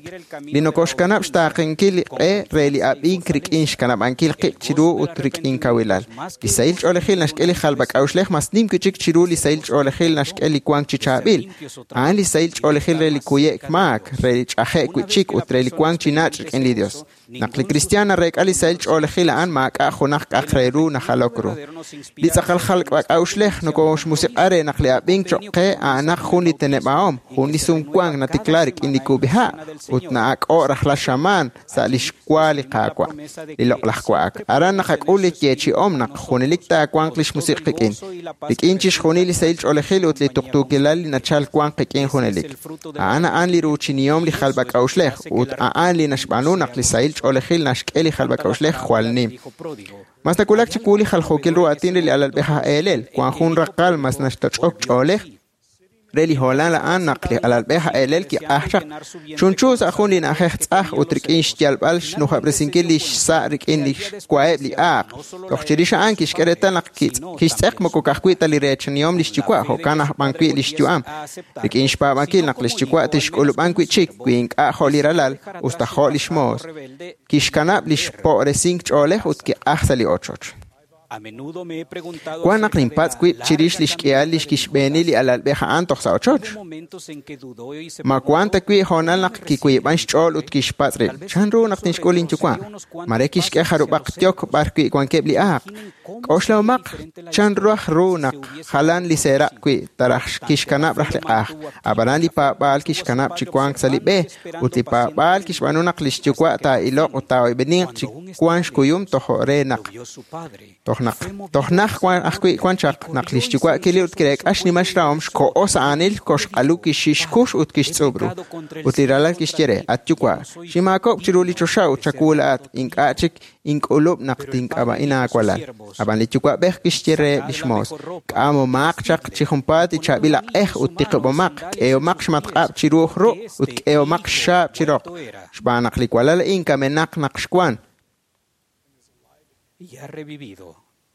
Li nokoxkanab' xtaaqenkil li q'e re li ab'ink rik'in xkanab'ankil qib' chiru ut rik'in kawilal. Li sahil ch'oolejil naxk'e li jalb'ak'a'uxlej mas nim wi'chik chiru li sahil ch'oolejil naxk'e li wank chi chaab'il. A'an li sahil ch'oolejil re li kuye'k maak, re li ch'aje'k wi'chik ut re li wank chi nach' rik'in li Dios. Naq li kristiaan nareek'a li sahil ch'oolejil a'an maak'a' junaq k'aq re ru najalok ru. Li tz'aqal jalb'ak'a'uxlej nokoxmusiq'a re naq li ab'ink choq' qe a'anaq jun li teneb'ahom, jun li sumwank natikla rik'in li kub'iha' ut na'ak'o' rajlal xamaan sa' li xwa li Qaawa', li loq'laj wa'ak. Aran naqak'ul li yeechi'om naq junelik taawanq li xmusiq qik'in, rik'in chixjunil li sahil ch'oolejil ut li tuqtuukilal li nachal wanq qik'in junelik. A'an a'an li ruuchinihom li jalb'ak'a'uxlej ut a'an li naxb'aanu naq li sahil ch'oolejil naxk'e li jalb'ak'a'uxlej jwal nim. Mas nawulak chiwu li jaljookil ru aatin re li alalb'ej aj eelel, wan jun raqal mas naxtoch'ok ch'oolej re li hoolal a'an naq li alalb'ej aj eelel kiq'aj chaq. Chunchu sa' jun li na'ajej tz'aj ut rik'in xyalb'al xnujab'resinkil li xsa' rik'in li xwaheb' li aaq. Toj chirix a'an kixk'e reetal naq kixtz'eq moko ka'ajwi' ta li reechanihom li xyuwa', jo'kan aj b'an wi' li xyu'am. Rik'in xpaab'ankil naq li xyuwa' tixk'ulub'an wi'chik wi ink'a' jo' li ralal, usta jo' li xmoos. Kixkanab' li xpo'resink ch'oolej ut kiq'aj sa' li ochoch. Wan naq ninpatz' wib' chirix li xk'ihal li xkixb'eeni li alalb'ej a'an toj sa' ochoch. Ma wan ta wi' hoonal naq kiwiib'an xch'ool ut kixpatz' rib', chan ru naq tinxk'ul linyuwa'? Mare kixk'e jarub'aq yok b'ar wi' wankeb' li aaq. K'oxlahomaq chan raj ru naq jalan li seeraq' wi' taraj kixkanab' raj li q'aj. Ab'anan li paab'aal kixkanab' chi wank sa' li b'e, ut li paab'aal kixb'aanu naq li xyuwa' taa'iloq ut taa'oyb'eninq chi wank xkuyum toj re naq toj naj ajwi' wan chaq naq li xyuwa' kili ut kireek'a xnimal xrahom xko'o sa' aanil koxq'alu kixxixkux ut kixtz'ub' ru. Ut li ralal kixye re, at yuwa', ximaakok' chiru li choxa ut chawu laa'at, ink'a' chik ink'ulub' naq tink'ab'a'in aawalal. Ab'an li yuwa'b'ej kixye reheb' li xmoos, k'amomaq chaq chi junpaat li chaab'il aq'ej ut tiqib'omaq, k'ehomaq xmatq'ab' chiru ru' ut k'ehomaq xxaab' chi roq, xb'aan naq li walal a'in kamenaq naq xwan. Y ha revivido.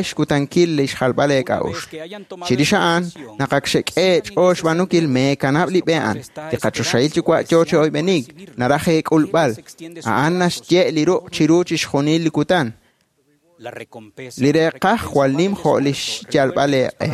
Xwulak xkutankil li xjalb'al eek'a'uxl. Chirix a'an, naq ak xek'e eech'ool xb'aanunkil meekanab' li b'e a'an. Li qachoxahil Yuwa' yoo chi oyb'enik, naraj eek'ulb'al. A'an naxye' li ruq' chiru chixjunil li kutan. Li reeqaj jwal nim jo' li xyalb'al eeq'e.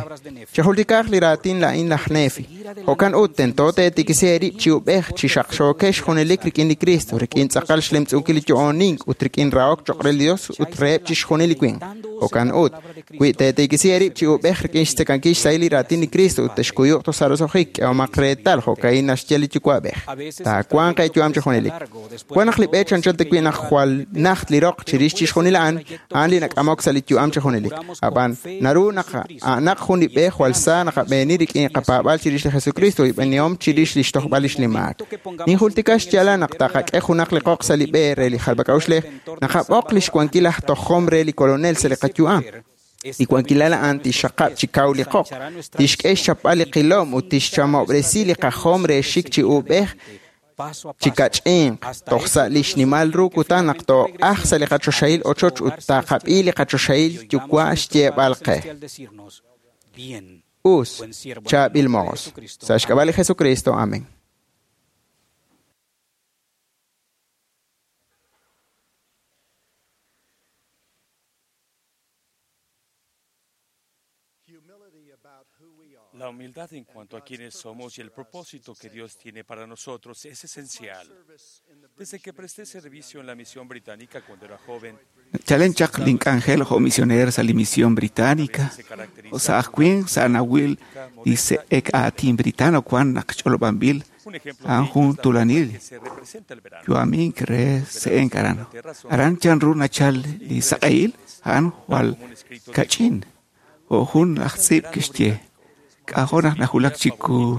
Chejultikaq li raatin la'in laj Nefi. Jo'kan ut tento teetikisi eerib' chi ub'ej chi xaqxookex junelik rik'in li Cristo, rik'in tz'aqal xlemtz'unkil li yo'onink ut rik'in rahok choq' re li Dios ut reheb' chixjunil li winq. Jo'kan ut, wi teetikisi eerib' chi ub'ej rik'in xtzekankil xsahil li raatin li Cristo ut texkuyuq toj sa' roso'jik, k'ehomaq reetal jo'ka'in naxye li Yuwa'b'ej. Taawanq eeyu'am chi junelik. Wan naq li b'e chanchan ta wi' naq jwal najt li roq chirix chixjunil a'an, a'an li nak'amok sa' li yu'am chi junelik. Ab'an, naru naq a'anaq jun li b'e jwal sa naqab'eeni rik'in qapaab'aal chirix li Jesucristo ut b'eenihom chirix li xtojb'al lix li maak. Ninjultika xyaalal naq taqak'e junaq li qoq sa' li b'e re li jalb'ak'a'uxlej, naqab'oq lix wankil aj tojom re li Kolonel sa' li qayu'am. Li wankilal a'an tixxaqab' chi kaw li qoq, tixk'e xchapb'al li qilom ut tixchamob'resi li qajom re xik chi uub'ej chi kach'inq toj sa' li xnimal ru kutan naq too'aj sa' li qachoxahil ochoch ut taqab'i li qachoxahil yuwa' xyeeb'al qe. Us, chaab'il moos. Sa' xk'ab'a' li Jesucristo. Amén. La humildad en cuanto a quienes somos y el propósito que Dios tiene para nosotros es esencial. Desde que presté servicio en la misión británica cuando era joven, Chalen chaq link'anjel jo misioner sa li misión británica. O sa ajwin sa nawil dice ek aatin britano kwan naq ch'olob'anb'il a'an jun tulanil. Yu'amink re se'en aran. Aran chan ru nachal li saq'ehil a'an jwal kach'in. O jun aj tz'iib' kixye. K'ajo' naq najulak chiku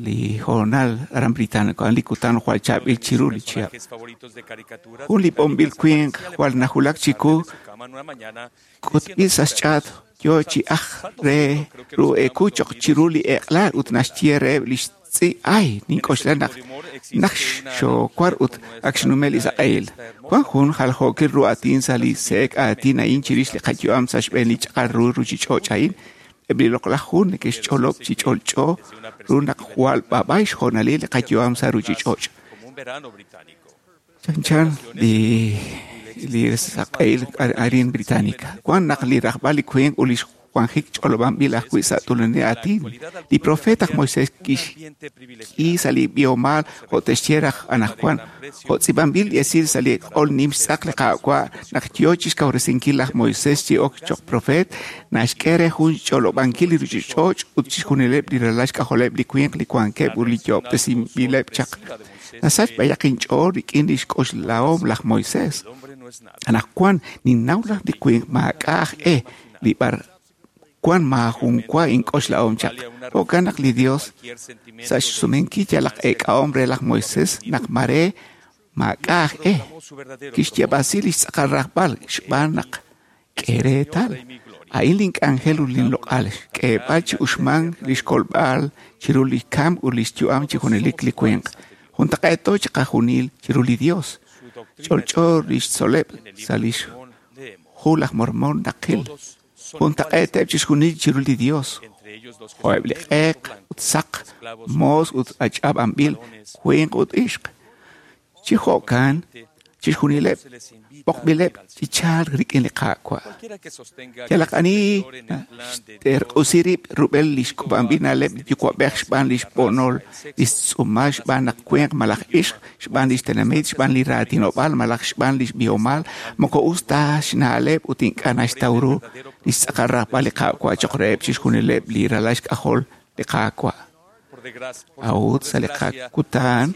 li hoonal aran británico a'an li kutan jwal chaab'il chiru li chihab'. Jun li b'onb'il winq jwal najulak chiku k'utb'il sa' xch'aat yo chi aj re ru'eku choq chiru li eq'laal ut naxye reheb' li xtz'i' ay nink'oxla naq naq xookwar ut ak xnume' li saq'ehil. Wan jun jaljookil ru aatin sa' li se'ek aatin a'in chirix li qayu'am sa' xb'een li ch'aqal ru ruchich'och' a'in. Eb' li loq'laj hu neke'xch'olob' chi ch'olch'o ru naq jwal b'ab'ay xjoonalil li qayu'am sa' ruchich'och'. Chanchan li saq'ehil arin británica. Wan naq li rajb'al li winq ut li xwanjik ch'olob'anb'il ajwi' sa' tulanil aatin. Li profeta aj Moisés kixk'i sa' li b'ihomal jo' te'xye raj anaqwan. Jo' tz'iib'anb'il li esil sa' li q'ol nim xtz'aq li Qaawa' naq yo chixkawresinkil laj Moisés chi ok choq profeet, naxk'e re jun ch'olob'ankil li ruchich'och' ut chixjunileb' li ralal xk'ajoleb' li winq li wankeb' ut li yo'ob'tesinb'ileb' chaq. Nasach b'ayaq inch'ool rik'in li xk'oxlahom laj Moisés. Anaqwan ninnaw laj li winq maak'a' aj e li b'ar wan maajun wa ink'oxlahom chaq. Jo'kan naq li Dios sa' xsumenkil yalaq eek'ahom re laj Moisés naq mare maak'a' aj e kixyab'asi li xtz'aqal rajb'al xb'aan naq k'e reetal. A'in link'anjel ut linloq'al xk'eeb'al chi uxmank li xkolb'al chiru li kamk ut li xyu'am chi junelik li winq. Juntaq'eeto chi qajunil chiru li Dios. Ch'olch'o li xtzoleb' sa' li xhu laj Mormón naqil. Juntaq'eeteb' chixjunil chiru li Dios. Jo'eb' li q'eq ut saq, moos ut ach'ab'anb'il, winq ut ixq. Chi jo'kan, chixjunileb' b'oqb'ileb' chi chalk rik'in li Qaawa'. Yalaq ani xterq'usi rib' rub'el li xk'ub'anb'il na'leb' li yuwa'b'ej xb'aan li xb'onol, li xtz'uumal xb'aan naq winq malaj ixq, xb'aan li xtenamit, xb'aan li raatinob'aal malaj xb'aan li xb'ihomal, moko us ta xna'leb' ut ink'a' naxtaw ru li xtz'aqal rajb'al li Qaawa' choq reheb' chixjunileb' li ralal xk'ajol li Qaawa'. A'ut sa' li qakutan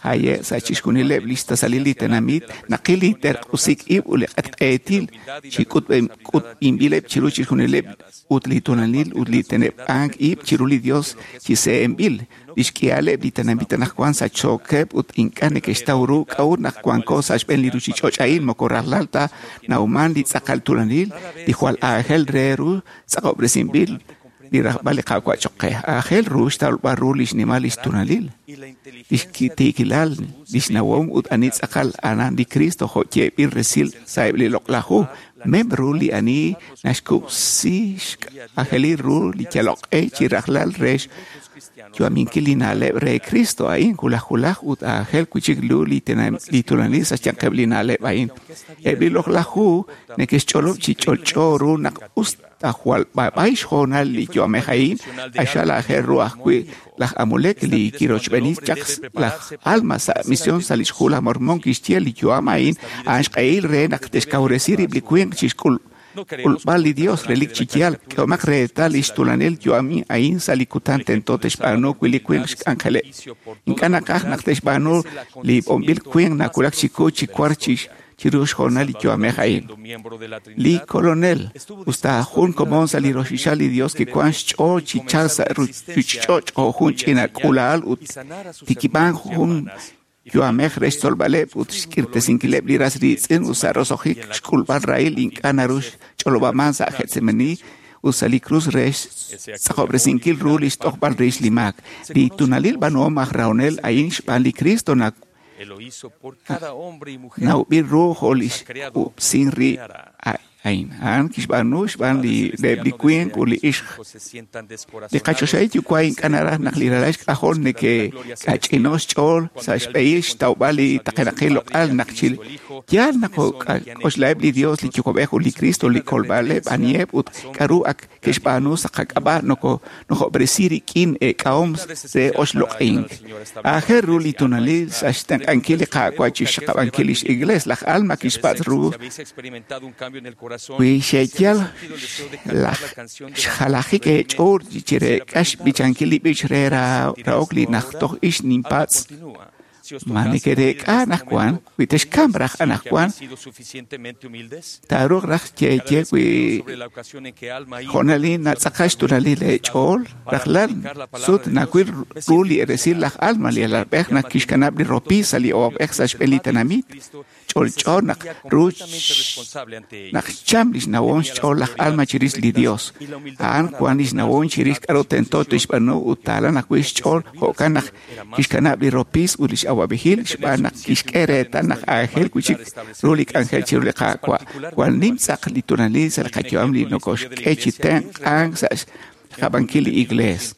haye' sa' chixjunileb' li xtasalil li tenamit naqil li terq'usik ib' ut li q'etq'eetil chi k'utb'inb'ileb' chiru chixjunileb' ut li tulanil ut li teneb'ank ib' chiru li Dios chi se'enb'il. Li xk'ihaleb' li tenamit anaqwan sachsookeb' ut ink'a' neke'xtaw ru k'a'ut naq wanko sa' xb'een li ruchich'och' a'in moko rajlal ta nawman li tz'aqal tulanil li jwal aajel re ru tz'aqob'resinb'il li rajb'al li Qaawa' choq qe. Aajel ru xtawb'al ru li xnimal li xtunalil, li xtiikilal, li xnawom ut ani tz'aqal anan li Cristo jo' yeeb'il resil sa'eb' li loq'laj hu. Mem ru li ani naxkub'si xk'anjelil ru li yaloq'e chi rajlal re xyu'aminkil li na'leb' re Cristo a'in wulaj wulaj ut aajel wi'chik lu li tulanil sa' xyanqeb' li na'leb' a'in. Eb' li loq'laj hu neke'xch'olob' chi ch'olch'o ru naq us ta jwal b'ab'ay xhoonal li yu'amej a'in, q'axal aajel ru ajwi' laj Amulek li kirochb'eeni chaq laj Alma sa' misión sa' li xhu laj Mormón kixye li yu'am a'in a'an xq'ehil re naq te'xkawresi rib' li winq chi xk'ulb'al li Dios relik chi yaal. K'ehomaq reetal li xtulanil yu'am a'in sa' li kutan tento te'xb'aanu wi' li winq xk'anjeleb'. Ink'a' naqaj naq te'xb'aanu li b'onb'il winq nawulak chiku chi war chiru xhoonal li yu'amej a'in. Li kolonel, usta jun komon sa' li roxixal li Dios kiwan xch'ool chi chalk sa' ruchich'och' jo' jun ch'ina k'uula'al ut tikib'an jun yu'amej re xtzolb'aleb' ut xk'irtesinkileb' li ras riitz'in ut sa' roso'jik xk'ulb'al rahil ink'a' naru xch'olob'aman sa' Getsemani ut sa' li krus re xtz'aqob'resinkil ru li xt'ojb'al rix li maak. Li tunalil b'anuhom aj rahonel a'in xb'aan li Cristo nawb'il ru jo' li xkub'sin rib' a'in. A'an kixb'aanu xb'aan li reheb' li winq ut li ixq. Li qachoxahil yuwa' ink'a' naraj naq li ralal xk'ajol neke'k'ach'ino xch'ool sa' xb'ehil xtawb'al li taqenaqil loq'al naq chi yaal naq k'oxlaheb' li Dios, li Yuwa'b'ej ut li Cristo, li kolb'aleb' aniheb' ut k'a'ru ak ke'xb'aanu sa' qak'ab'a' nokob'resi rik'in eek'ahom re oxloq'ink. Aajel ru li tunalil sa' xtenq'ankil li Qaawa' chi xxaqab'ankil lix Iglees. Laj Alma kixpatz' ru wi xe'yal laj xjalajik eech'ool chireek'a xb'ichankil li b'ich re rahok li najtoj ix ninpatz' ma nekereek'a anaqwan wi texkamp raj anaqwan taaruuq raj yeeye wi jo'nalil natz'aqal xtunalil eech'ool rajlal sut nawil ru li eresil laj Alma li alalb'ej naq kixkanab' li ropi sa' li awab'ej sa' xb'een li tenamit ch'olch'o naq ru naq xcham lix nawom xch'ool laj Alma chirix li Dios. A'an wan lix nawom chirix k'a'ru tento tixb'aanu ut taalan ajwi' xch'ool jo'kan naq kixkanab' li ropis ut lix awab'ejil xb'aan naq kixk'e reetal naq aajel wi'chik ru li k'anjel chiru li Qaawa'. Jwal nim tz'aq li tunalil sa' li qayu'am li nokoxk'e chi tenq'ank sa' xqab'ankil li Iglees.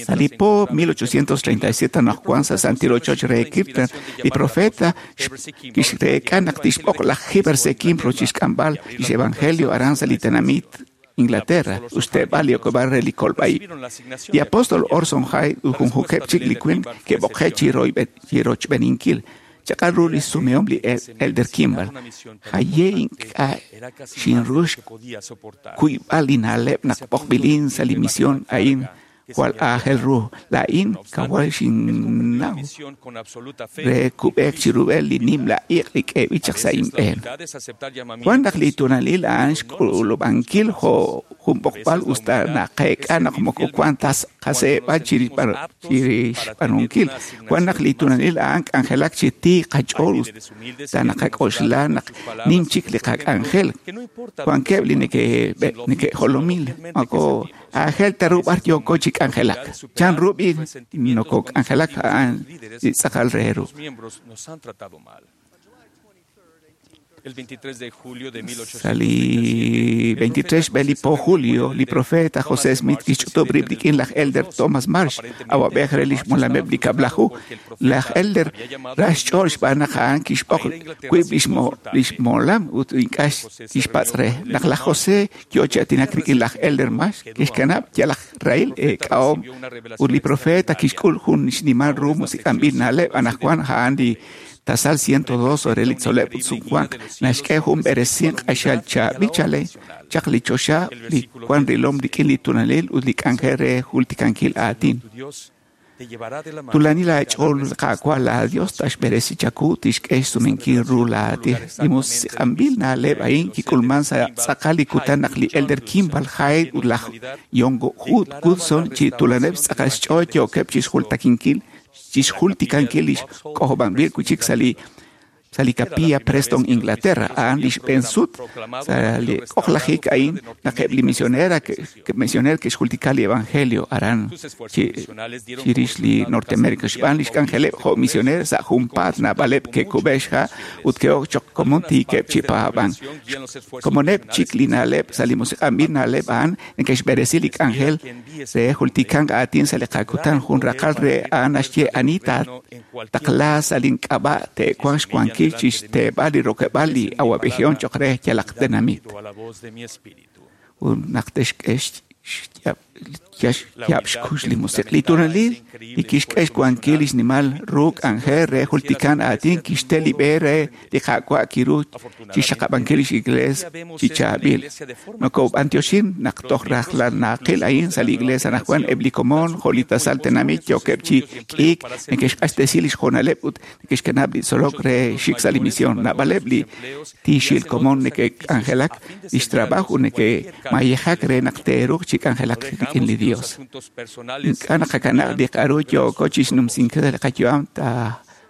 Sa' li po 1837 naq wan sa' Santil Ochoch re Kirtland, li profeta kixreek'a naq tixb'oq laj Heber C. Kimbrough chixk'amb'al lix evangelio aran sa' li tenamit Inglaterra, ut xteeb'al li okeb'aal re li kolb'a'ib'. Li apóstol Orson Hyde ut junjunqeb' chik li winq ke'b'oqe' chi rochb'eeninkil. Chaq'al ru li sumehom li Elder Kimball. Jaye ink'a' xinru xkuyb'al li na'leb' naq b'oqb'ilin sa' li misión a'in jwal aajel ru. Laa'in kawal xinnaw re kub'eek chirub'el li nimla iq' li k'eeb'il chaq sa' inb'een. Wan naq li tunalil a'an xk'ulub'ankil jo' jun b'oqb'al usta naqeek'a naq moko wan ta qaseeb'al chirixb'aanunkil. Wan naq li tunalil a'an k'anjelak chi tiik qach'ool usta naqak'oxla naq nim chik li qak'anjel. Wankeb' li neke'jolomil moko aajel ta ru b'ar yooko chi k'anjelak. Chan ru b'i nokok'anjelak a'an li tz'aqal re ru. Sa' li 23 xb'e li po julio, li profeta José Smith kixch'utub' rib' rik'in laj Elder Thomas Marsh, awab'ej re lix molameb' li kab'laju. Laj Elder ra xch'ool xb'aan naq a'an kixb'oq wiib' lix molam ut ink'a' kixpatz' re. Naq laj José yoo chi aatinak rik'in laj Elder Marsh, kixkanab' yal aj rahil eek'ahom ut li profeta kixk'ul jun xnimal ru musiq'anb'il na'leb' anaqwan a'an li tasal 102 re li tzol'leb' ut sumwank naxk'e jun b'eresin q'axal chaab'il chale chaq li choxa li wan rilom rik'in li tunalil ut li k'anjel re jultikankil aatin. Tulanil aach'ool Qaawa' laa Dios taxb'eresi chaku tixk'e xsumenkil ru laatij. Li musiq'anb'il na'leb' a'in kik'ulman sa' tz'aqal li kutan naq li Elder Kimball Hyde ut laj Yongo Hudson chi tulaneb' xtz'aqal xch'ool yookeb' chixjultikankil lix k'ojob'anb'il wi'chik sa' li Capilla Preston, Inglaterra. A'an li xb'een sut sa' li k'ojlajik a'in naq eb' li misionera ke'xjultika li evangelio aran chirix li Norteamérica. Xb'aan lix k'anjeleb' jo' misionera sa' junpaat naab'aleb' ke'kub'e xha' ut ke'ok choq' komon tiikeb' chi paab'ank. Komoneb' chik li na'leb' sa' li musiq'anb'il na'leb' a'an neke'xb'eresi li k'anjel re jultikank aatin sa' li qakutan. Jun raqal re a'an naxye ani taqla sa' link'ab'a' te'wanq xwankil chixteeb'al li rokeb'al li awab'ejihom choq' re yalaq tenamit. Ut naq texk'e xyaab' xkux li musiq' li tunalil li kixk'e xwankil li xnimal ru k'anjel re jultikan aatin kixte li b'e re li Qaawa' kiru chixxaqab'ankil lix Iglees chi chaab'il. Nokob'antioxin naq toj rajlal naqil a'in sa' li Iglees anaqwan eb' li komon jo' li tasal tenamit yookeb' chi k'iik neke'xq'axtesi lix joonaleb' ut neke'xkanab' li tzolok re xik sa' li misión. Naab'aleb' li tiixil komon neke'k'anjelak lix trabajo ut neke'mayejak re naq te'ruuq chi k'anjelak rik'in li Dios. Ink'a' naqakanab' li k'a'ru yooko chixnumsinkil li qayu'am ta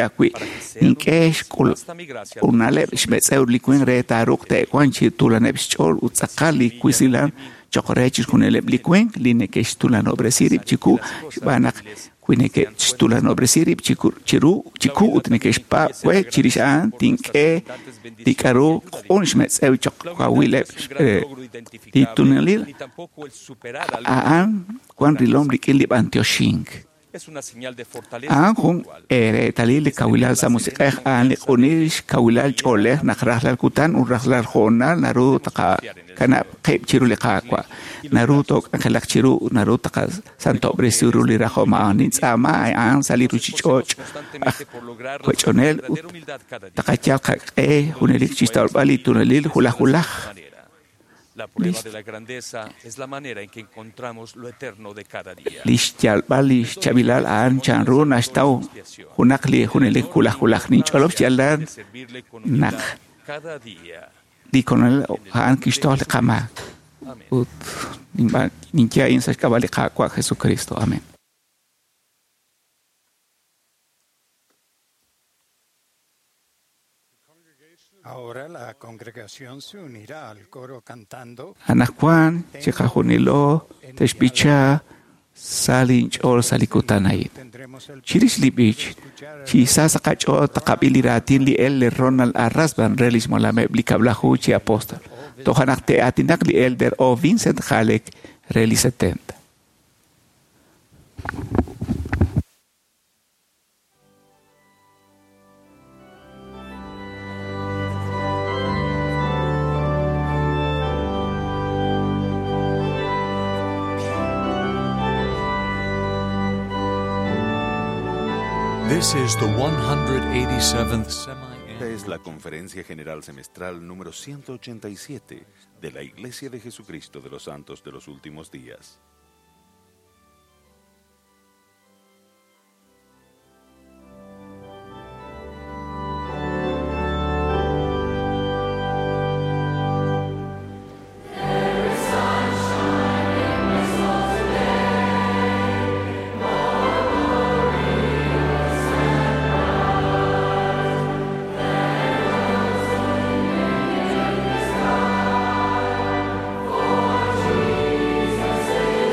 xinye ajwi', nink'e xk'ul unaleb' xmetz'ew li winq re taaruuq te'wanq chi tuulaneb' xch'ool ut tz'aqal li wisilam Cho'q re chixjunileb' li winq li neke'xtulanob'resi rib' chiwu xb'aan naq wi neke'xtulanob'resi rib' chiru chiwu ut neke'xpaab' we chirix a'an tink'e li k'aru q'un xmetz'ew cho'q kawileb' li tunelil a'an wan rilom rik'in li b'antioxink. A'an jun ereetalil li kawilal sa' musiq'ej a'an li q'unil xkawilal ch'oolej naq rajlal kutan ut rajlal hoonal naru taqakanab' qib' chiru li Qaawa', naru took'anjelaq chiru ut naru taqasantob'resi ru li rajom a'an. Nintz'aama a'an sa' li ruchich'och' aj wech'onel ut taqayal qaq'e junelik chixtawb'al li tunelil wulaj wulaj. La prueba de la grandeza es la manera en que encontramos lo eterno de cada día. Li xyalb'al li xchaab'ilal a'an chanru naxtaw junaq li junelik wulaj wulaj. Ninch'olob' xyaalal naq li Kolonel a'an kixtoj li qamaak ut ninye a'in sa' xk'ab'a' li Qaawa' Jesucristo. Amén. Ahora la congregación se unirá al coro cantando. Anaqwan chiqajunilo te'xb'icha sa' linch'ool sa' li kutan a'in. Chirix li b'ich, chi sa sa' qach'ool taqab'i li raatin li Elder Ronald A. Rasband re lix molameb' li kab'laju chi apóstol. Toja' naq te'aatinaq li Elder O. Vincent Haleck re li 70. This is the 187th semi Esta es la Conferencia General Semestral número 187 de la Iglesia de Jesucristo de los Santos de los Últimos Días. Jesus.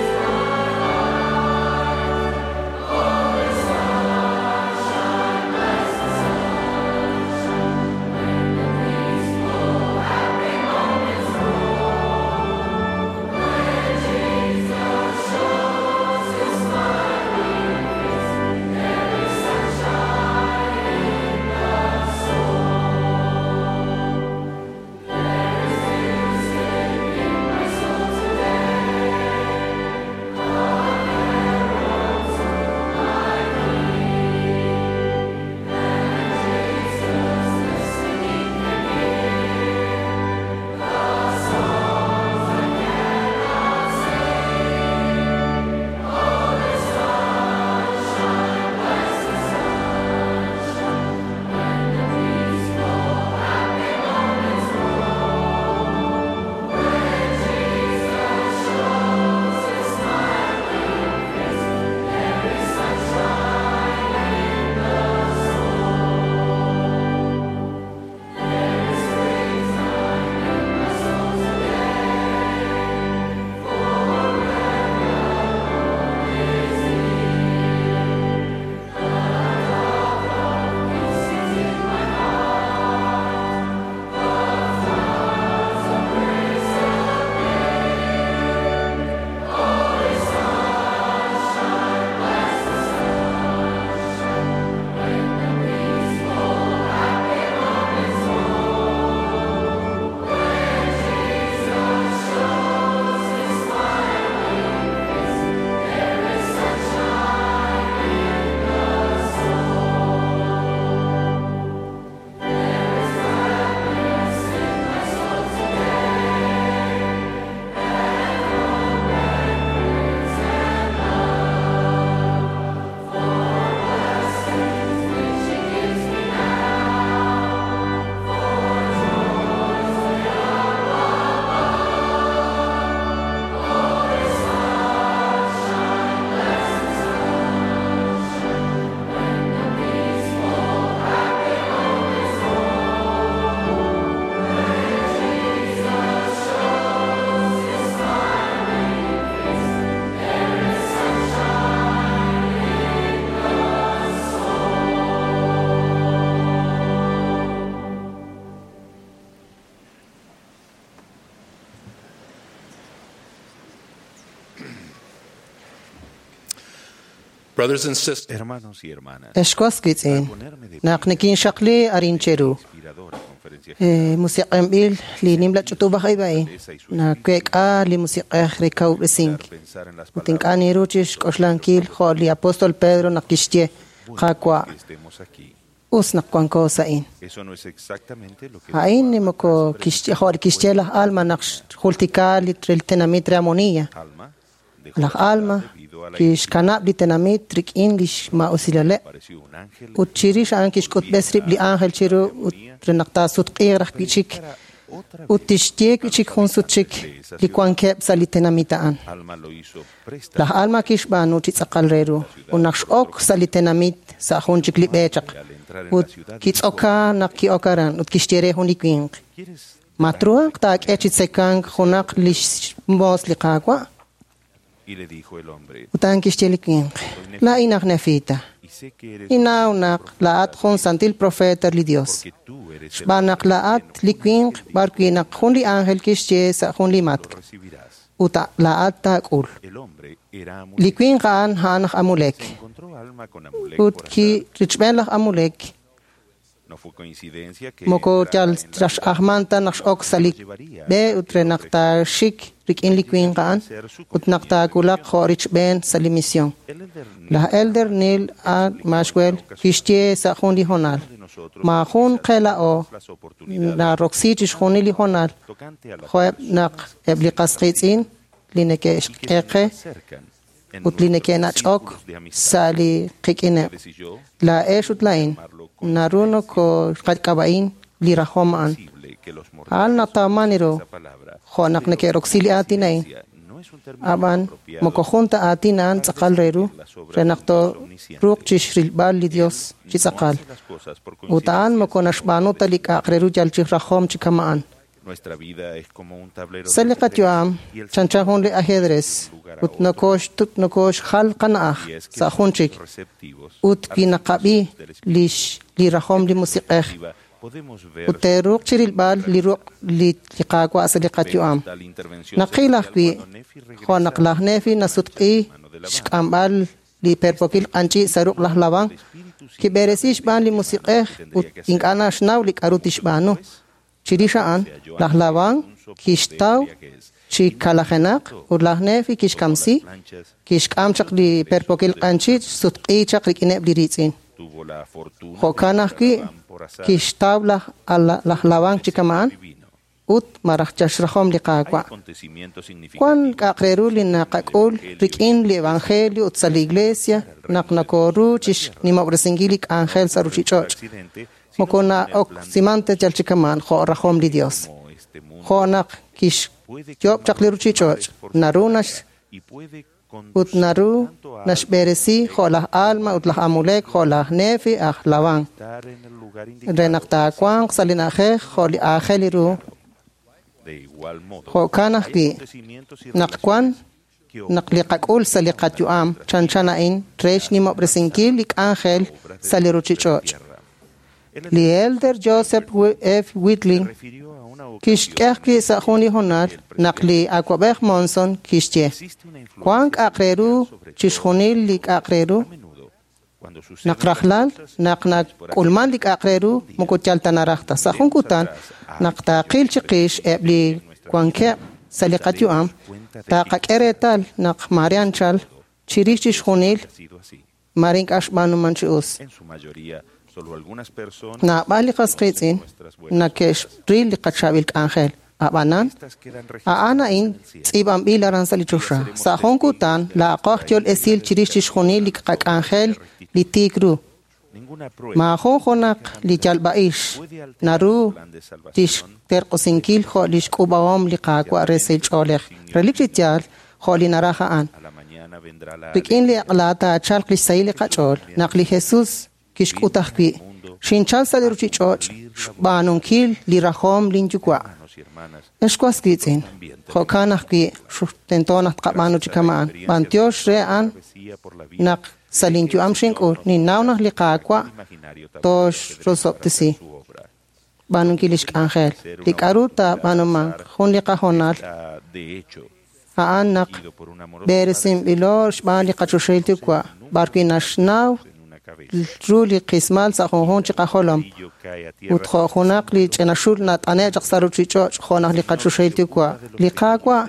Brothers and sisters, Hermanos y hermanas, Ex was wiitz'in, naq nikinxaqli arin cheru. inspiradora conferencia Musiq'enb'il li nimla ch'utub'aj ib' a'in naweek'a li musiq'ej re kawub'resink. pensar en las Ut ink'a' niru chixk'oxlankil jo' li apóstol Pedro naq kixye Qaawa' que estemos aquí. us naq wanko sa'in. Eso no es exactamente lo que A'in ni moko kixye jo' li kixye laj Alma naq xjultika li re li tenamit re Amonilla. Alma dejó Laj Alma debido a la kixkanab' li tenamit rik'in lix ma'usilaleb' apareció un ángel ut chirix a'an kixk'utb'es rib' li ángel chiru ut re naq taasutq'iiq raj wi'chik ut tixye wi'chik jun sut chik li wankeb' sa' li tenamit a'an. Alma lo hizo presta Laj Alma kixb'aanu chi tz'aqal re ru ut naq x'ok sa' li tenamit sa' jun chik li b'e chaq ut kitz'oka naq ki'ok aran ut kixye re jun li winq. Ma truhanq taak'e chi tzekank junaq lix moos li Qaawa'? y le dijo el hombre, Ut a'an kixye li winq. Laa'in aj Nefita. y sé que eres Ninnaw naq laa'at jun santil profeta li Dios. porque tú eres el Xb'aan naq laa'at li winq b'ar wi' naq jun li ángel kixye sa' jun li matk' recibirás. ut laa'at taak'ul. El hombre era Li Amulek. winq a'an a'an aj Amulek. Encontró Alma con Amulek Ut por azar. ki richb'en laj Amulek No fue coincidencia que moko entrara yal en la rax'ajman ta naq x'ok sa' li b'e ut re naq taaxik rik'in li winq a'an ut naq taawulaq jo' richb'en sa' li misión. El elder Laj Elder Neil A. Maxwell kixye sa' jun li honal. Ma jun qe la'o las oportunidades naroksi chixjunil li honal tocante a las jo'eb' naq eb' li qas qiitz'in li neke'xk'e qe acercan en ut li nuestros neke'nach'ok círculos de amistad. sa' li qik'ineb'. Ustedes y yo Laa'ex ut laa'in naru nokok'ab'a'in li rajom a'an. posible que los A'an mortales natawman ru esa palabra jo' naq neke'roksi li aatin a'in. no es un término Ab'an apropiado moko jun ta aatin a'an tz'aqal re ru re naq tooruuq chixrilb'al li Dios chi tz'aqal. hace las cosas por Ut a'an moko naxb'aanu ta li k'a'aq re ru yal chi rajom chi kama'an. Nuestra vida es como un tablero Sa' de li ajedrez qayu'am y el chanchan jun li ajedrez ut nokoxtut nokoxjal qana'aj y es que sa' jun somos chik receptivos ut a wi las naqab'i instrucciones del Espíritu. lix li rajom li musiq'ej Podemos ver ut teeruuq chirilb'al li ruq' li li Qaawa' sa' li qayu'am. tal intervención Naqil celestial ajwi' cuando Nefi jo' naq regresa laj Nefi nasutq'i xk'amb'al li perpokil q'anchi' sa' ruq' laj Labán kib'eresi xb'aan li musiq'ej ut ink'a' naxnaw li k'a'ru tixb'aanu. Chirix a'an, laj Labán kixtaw chi kalajenaq ut laj Nefi kixkamsi, kixk'am chaq li perpokil q'anchi' sutq'i chaq rik'ineb' li riitz'in. tuvo la fortuna Jo'kan ajwi' de por azar kixtaw laj laj Labán chi kama'an divino. ut maraj chaxrajom li Qaawa'. Acontecimientos Wan significativos k'a'aq re ru li naqak'ul rik'in li evangelio ut sa' li iglesia naq nokoru chixnimob'resinkil li k'anjel sa' ruchich'och'. accidente, Moko na'oksiman ta yal chi kama'an jo' rajom li Dios. como este mundo Jo' naq kixyob' chaq li ruchich'och' naru nax y puede ut naru naxb'eresi jo' laj Alma ut laj Amulek jo' laj Nefi aj Labán estar en el lugar indicado. re naq taawanq sa' li na'ajej jo' li aajel ru De igual modo, jo'kan hay ajwi' acontecimientos y naq wan relaciones que naq li qak'ul sa' li qayu'am chanchan a'in re xnimob'resinkil li k'anjel sa' li ruchich'och'. Li Elder Joseph F. Whitley refirió a una kixk'e ajwi' sa' jun li honal naq li awab'ej Monson kixye wan k'a'aq re ru chixjunil li k'a'aq re ru cuando suceden naq rajlal naq nak'ulman li k'a'aq re ru moko yal ta naraj ta sa' jun kutan naq taaqil chiqix eb' li wankeb' sa' li qayu'am taqak'e reetal naq mare anchal chirix chixjunil ha sido así. mare ink'a' xb'aanuman chi us. En su mayoría, solo algunas personas Naab'al li qas qiitz'in nake'xril li qachaab'il k'anjel. Ab'anan, a'an a'in tz'iib'anb'il aran sa' li choxa. Sa' jun kutan laa'aqo aj yol esil chirix chixjunil li qak'anjel li tiik ru. ninguna prueba Maajun junaq li yalb'a'ix naru tixterq'usinkil jo' li xk'ub'ahom li Qaawa' re sahil ch'oolej. Relik chi yaal jo' li naraj a'an. a la mañana vendrá la Rik'in li aq'la taachalq li xsahil li qach'ool naq li Jesus kixk'ut ajwi' xinchal sa' li ruchich'och' xb'aanunkil li rajom linyuwa'. hermanos y hermanas Ex was wiitz'in, jo'kan ajwi' tento naq tqab'aanu chi kama'an. B'antiox re a'an travesía por la vida naq sa' linyu'am xink'ul ninnaw naq li Qaawa' imaginario toxrosob'tesi su obra. b'aanunkil lix k'anjel. Li k'a'ru taab'aanumanq jun li qajonal Está, de hecho, a'an naq b'eresinb'ilo xb'aan li qachoxahil Yuwa', b'ar wi' naxnaw ru li qismal sa' junjunq chi qajolom. Ut jo' junaq li ch'ina xul nat'ane' chaq sa' ruchich'och' jo' naq li qachoxahil Yuwa'. Li Qaawa'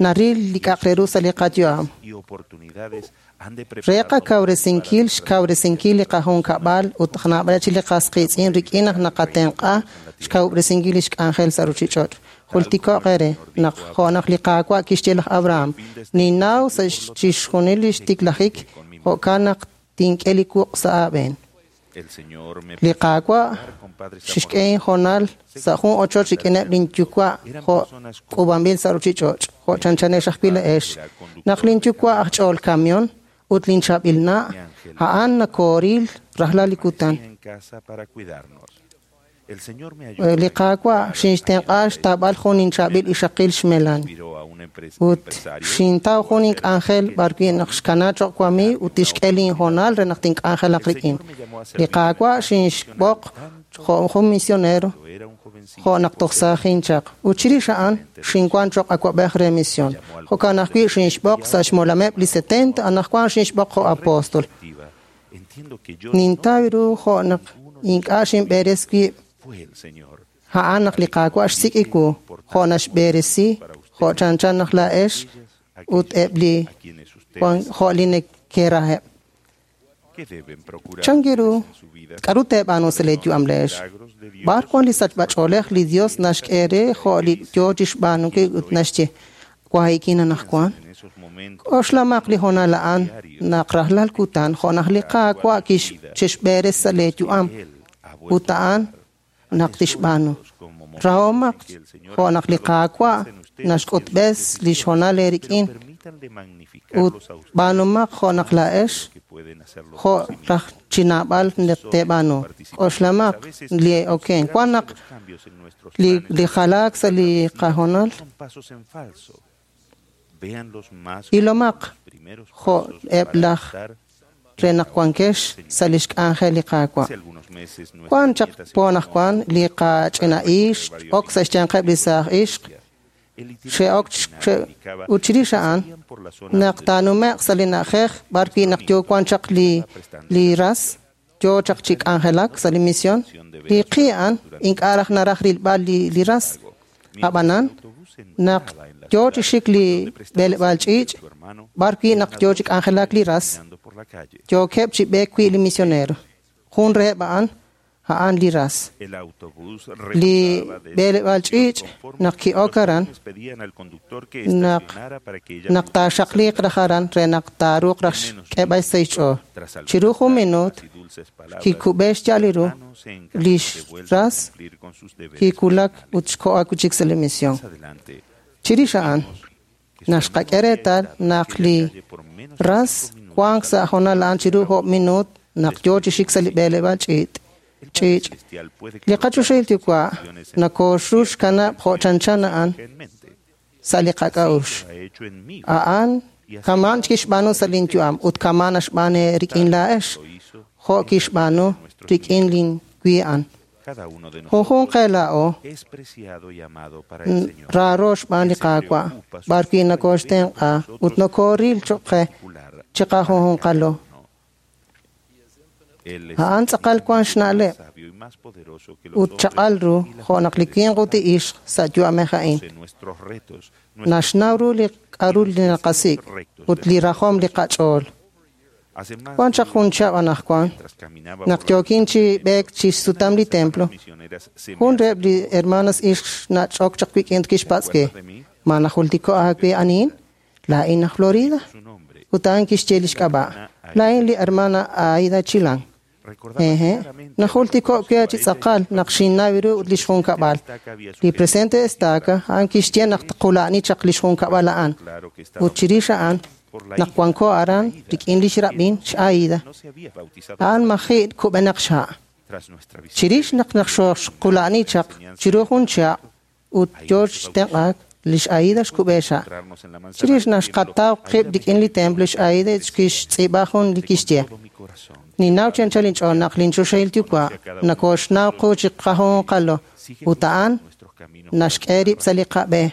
naril li k'a'aq re ru sa' li qayu'am. Re qakawresinkil xkawresinkil li qajunkab'al ut naab'aleb' chik li qas qiitz'in rik'in naq naqatenq'a xkawub'resinkil lix k'anjel sa' ruchich'och'. Jultiko'q eere naq jo' naq li Qaawa' kixye laj Abraham, ninnaw sa' chixjunil lix tiklajik, jo'kan naq tink'e li wuq' sa' aab'een. Li Qaawa' xixk'e inhoonal sa' jun ochoch rik'ineb' lin yuwa' jo' k'uub'anb'il sa' ruchich'och', jo' chanchanex ajwi' laa'ex. Naq lin yuwa' aj ch'ool kamion ut lin chaab'il na', a'an nakooril rajlal li kutan. Li Qaawa' xinxtenq'a xtaab'al jun inchaab'il ixaqil xmelan. Ut xintaw jun ink'anjel b'ar wi' naq xkana cho'q wamiiw ut tixk'e linhoonal re naq tink'anjelaq rik'in. Li Qaawa' xinxb'oq jo' jun misionero jo' naq toj saajin chaq. Ut chirix a'an xinwan cho'q awa'b'ej re misión. Jo'kan ajwi' xinxb'oq sa' xmolameb' li 70, anaqwan xinxb'oq jo' apóstol. Nintaw ru jo' naq ink'a' xinb'eres wib'. A'an naq li Qaawa' xsik' iwu, jo' naxb'eresi, jo' chanchan naq laa'ex ut eb' li jo' li nekeraheb'. Chan ru k'aru teeb'aanu sa' leeyu'am le'ex? B'ar wan li sachb'ach'oolej li Dios naxk'e re jo' li yoo chixb'aanunkil ut naxye, wahikin anaqwan? K'oxlamaq li hoonal a'an naq rajlal kutan jo' naq li Qaawa' kixb'eres sa' leeyu'am ut a'an naq tixb'aanu. Rahomaq jo' naq li Qaawa' naxk'utb'es lix hoonal eerik'in ut b'aanumaq jo' naq laa'ex jo' raj chi naab'al naq teeb'aanu. K'oxlamaq li okenk. Wan naq li jalaak sa' li qahoonal ilomaq jo' eb' laj re naq wankex sa' lix k'anjel li Qaawa'. Wan chaq po anaqwan li qach'ina ixq ok sa' xyanqeb' li saaj ixq xe'ok ut chirix a'an naq taanume'q sa' li na'ajej b'ar wi' naq yoo wan chaq li ras yoo chaq chi k'anjelak sa' li misión, li qi a'an ink'a' raj naraj rilb'al li ras. Ab'anan naq yoo chi xik li b'eleb'aal ch'iich' b'ar wi' naq yoo chi k'anjelak li ras, yookeb' chi b'eek wi' li misionero. Jun reheb' a'an, a'an li ras. Li b'eleb'aal ch'iich' naq ki'ok aran, naq taaxaqliiq raj aran re naq taaruuq raj xk'eb'al sa' xch'ool. Chiru jun minuut, kikub'e xya'al li ru, lix ras kiwulak ut xko'ak wi' chik sa' li misión. Chirix a'an, naxqak'e reetal naq li ras wank sa' hoonal a'an chiru 5 minuut naq yoo chi xik sa' li b'eleb'aal ch'iich'. Li qachoxahil Yuwa' nakoxru xkanab' jo' chanchan a'an sa' li qak'a'uxl. A'an kamaan kixb'aanu sa' lin yu'am ut kamaan naxb'aanu rik'in laa'ex jo' kixb'aanu rik'in lin wi a'an. Junjunq qe laa'o raaro xb'aan li Qaawa' b'ar wi' nakoxtenq'a ut nokooril cho'q qe chiqajunjunqalo. A'an tz'aqal wan xna'leb' ut chaq'al ru jo' naq li winq ut li ixq sa' yu'amej a'in. Naxnaw ru li k'aru li naqasik' ut li rajom li qach'ool. Wan chaq jun chihab' anaqwan naq yookin chi b'eek chi xsutam li templo, jun reheb' li hermanas ixq xnach'ok chaq wik'in ut kixpatz' we, ma najultiko' aawe anihin? Laa'in aj Florida. Ut a'an kixye lix k'ab'a'. Laa'in li hermana Aida Chilan. Eje, najultiko' we chi tz'aqal naq xinnaw ru ut lix junkab'al. Li presidente estaca a'an kixye naq tqula'ni chaq lix junkab'al a'an. Ut chirix a'an naq wanko aran rik'in lix rab'in x'Aida. A'an maji' kub'enaq xha'. Chirix naq naqxqula'ni chaq chiru jun chihab' ut yoo xtenq'aak lix Aida xkub'e xha'. Chirix naq xqataw qib' rik'in li templo x'Aida kixtz'iib'a jun li kixye. Ninnaw chi anchal inch'ool naq linchoxahil Yuwa' nakoxnaw qu chi qajunqalo ut a'an naxk'e rib' sa' li qab'e.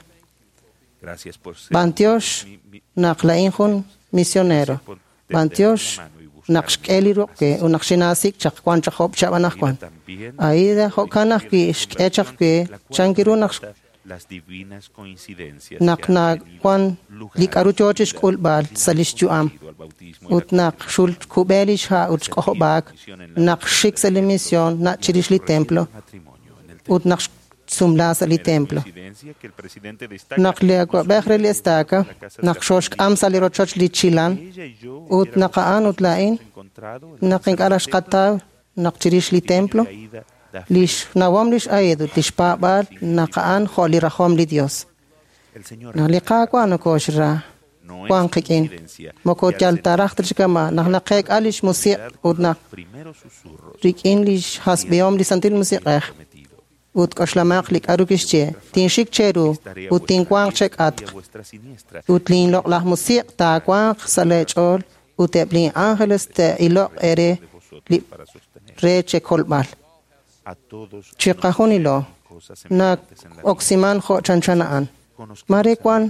B'antiox naq laa'in jun misionero. B'antiox naq xk'e li ruq' we ut naq xinaasik' chaq wan chaq job' chihab' anaqwan. Aida jo'kan ajwi' xk'e chaq we chan ru naq naq nawan li k'aru yoo chixk'ulb'al sa' lix yu'am ut naq xulkub'e lix ha' ut xk'ojob'aak naq xik sa' li misión nach' chirix li templo ut naq xsumla sa' li templo. Naq li awa'b'ej re li estaca naq xoxk'am sa' li rochoch li Chilan ut naq a'an ut laa'in naq ink'a' raj xqataw naq chirix li templo lix nawom lix Aida ut lix paab'aal naq a'an jo' li rajom li Dios. Naq li Qaawa' nokoxra wan qik'in moko yal ta raj ta chi kama' naq naqeek'a lix musiq' ut naq rik'in lix hasb'ihom li Santil Musiq'ej ut k'oxlamaq li k'aru kixye tinxik cheru ut tinwanq chek'atq ut linloq'laj musiq' taawanq sa' lee ch'ool ut eb' lin ángeles te'iloq eere li re chekolb'al. Chiqajunilo na'oksiman jo' chanchan a'an. Mare wan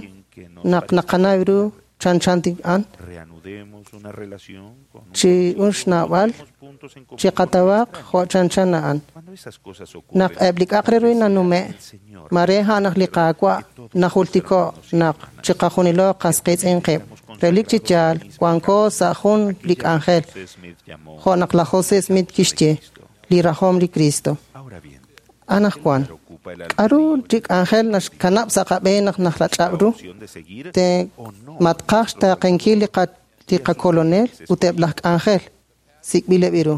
naq naqanaw ru chanchan a'an chi un xnawb'al chiqatawaq jo' chanchan a'an. Naq eb' li k'a'aq re ru nanume' mare a'an naq li Qaawa' najultiko' naq chiqajunilo qas qiitz'in qib'. Relik chi yaal wanko sa' jun li k'anjel jo' naq laj José Smith kixye li rajom li Cristo. Anaqwan k'aru li k'anjel naxkanab' sa' qab'een naq najrach'ab' ru te matqaj xtaaqenkil li qakolonel ut eb' laj k'anjel sik'b'ileb' ru.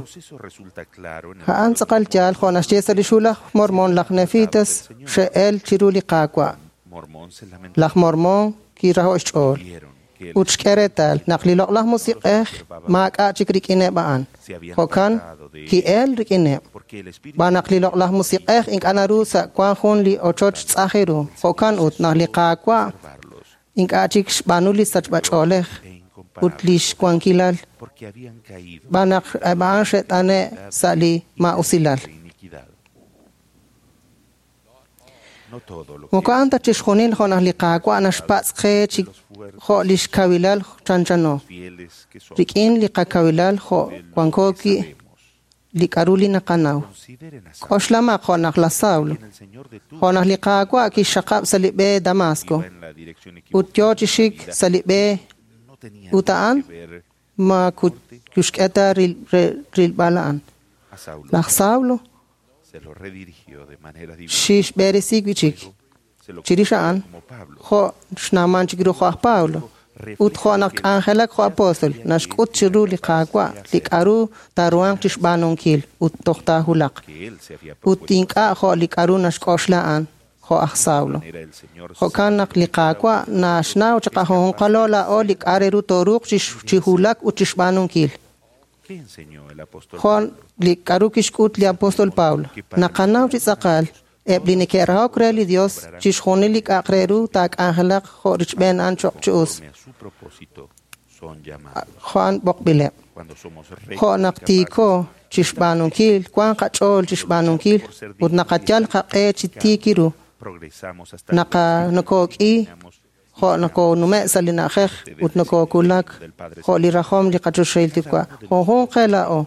A'an tz'aqal yaal jo' naxye sa' li xhu laj Mormon laj Nefitas xe'el chiru li Qaawa'. Laj Mormon kiraho' xch'ool ut xk'e reetal naq li loq'laj musiq'ej maak'a' chik rik'ineb' a'an. Jo'kan ki'el rik'ineb'. B'an naq li loq'laj musiq'ej ink'a' naru sa' wan jun li ochoch tz'aj ru. Jo'kan ut naq li Qaawa' ink'a' chik xb'aanu li sachb'ach'oolej ut lix wankilal b'an naq eb' a'an xe't'ane' sa' li maa'usilal. Moko a'an ta chixjunil jo' naq li Qaawa' naxpatz' qe chi jo' lix kawilal chanchano. Rik'in li qakawilal jo' wanko wi' li k'aru li naqanaw. K'oxlamaq jo' naq laj Saulo, jo' naq li Qaawa' kixxaqab' sa' li b'e Damasco ut yoo chi xik sa' li b'e ut a'an ma kuxk'e ta rilb'al a'an. Laj Saulo xixb'eresi wi' chik. Chirix a'an jo' xnawman chik ru jo' aj Pablo ut jo' naq k'anjelak jo' apóstol naxk'ut chiru li Qaawa' li k'aru taaruhanq chixb'aanunkil ut toj taahulaq ut ink'a' jo' li k'aru naxk'oxla a'an jo' aj Saulo. Jo'kan naq li Qaawa' naxnaw chiqajunjunqalo laa'o li k'a' re ru tooruuq chi hulak ut chixb'aanunkil. Jo' li k'aru kixk'ut li apóstol Pablo naqanaw chi tz'aqal eb' li neke'rahok re li Dios chixjunil li k'a'aq re ru taak'anjelaq jo' richb'een a'an choq' chi us. Jo' a'an b'oqb'ileb'. Jo' naq tiiko chixb'aanunkil wan qach'ool chixb'aanunkil ut naqayal qaq'e chi tiik ru. Nokok'i jo' nokonume' sa' li na'ajej ut nokokulak jo' li rajom li qachoxahil Yuwa'. Junjunq qe laa'o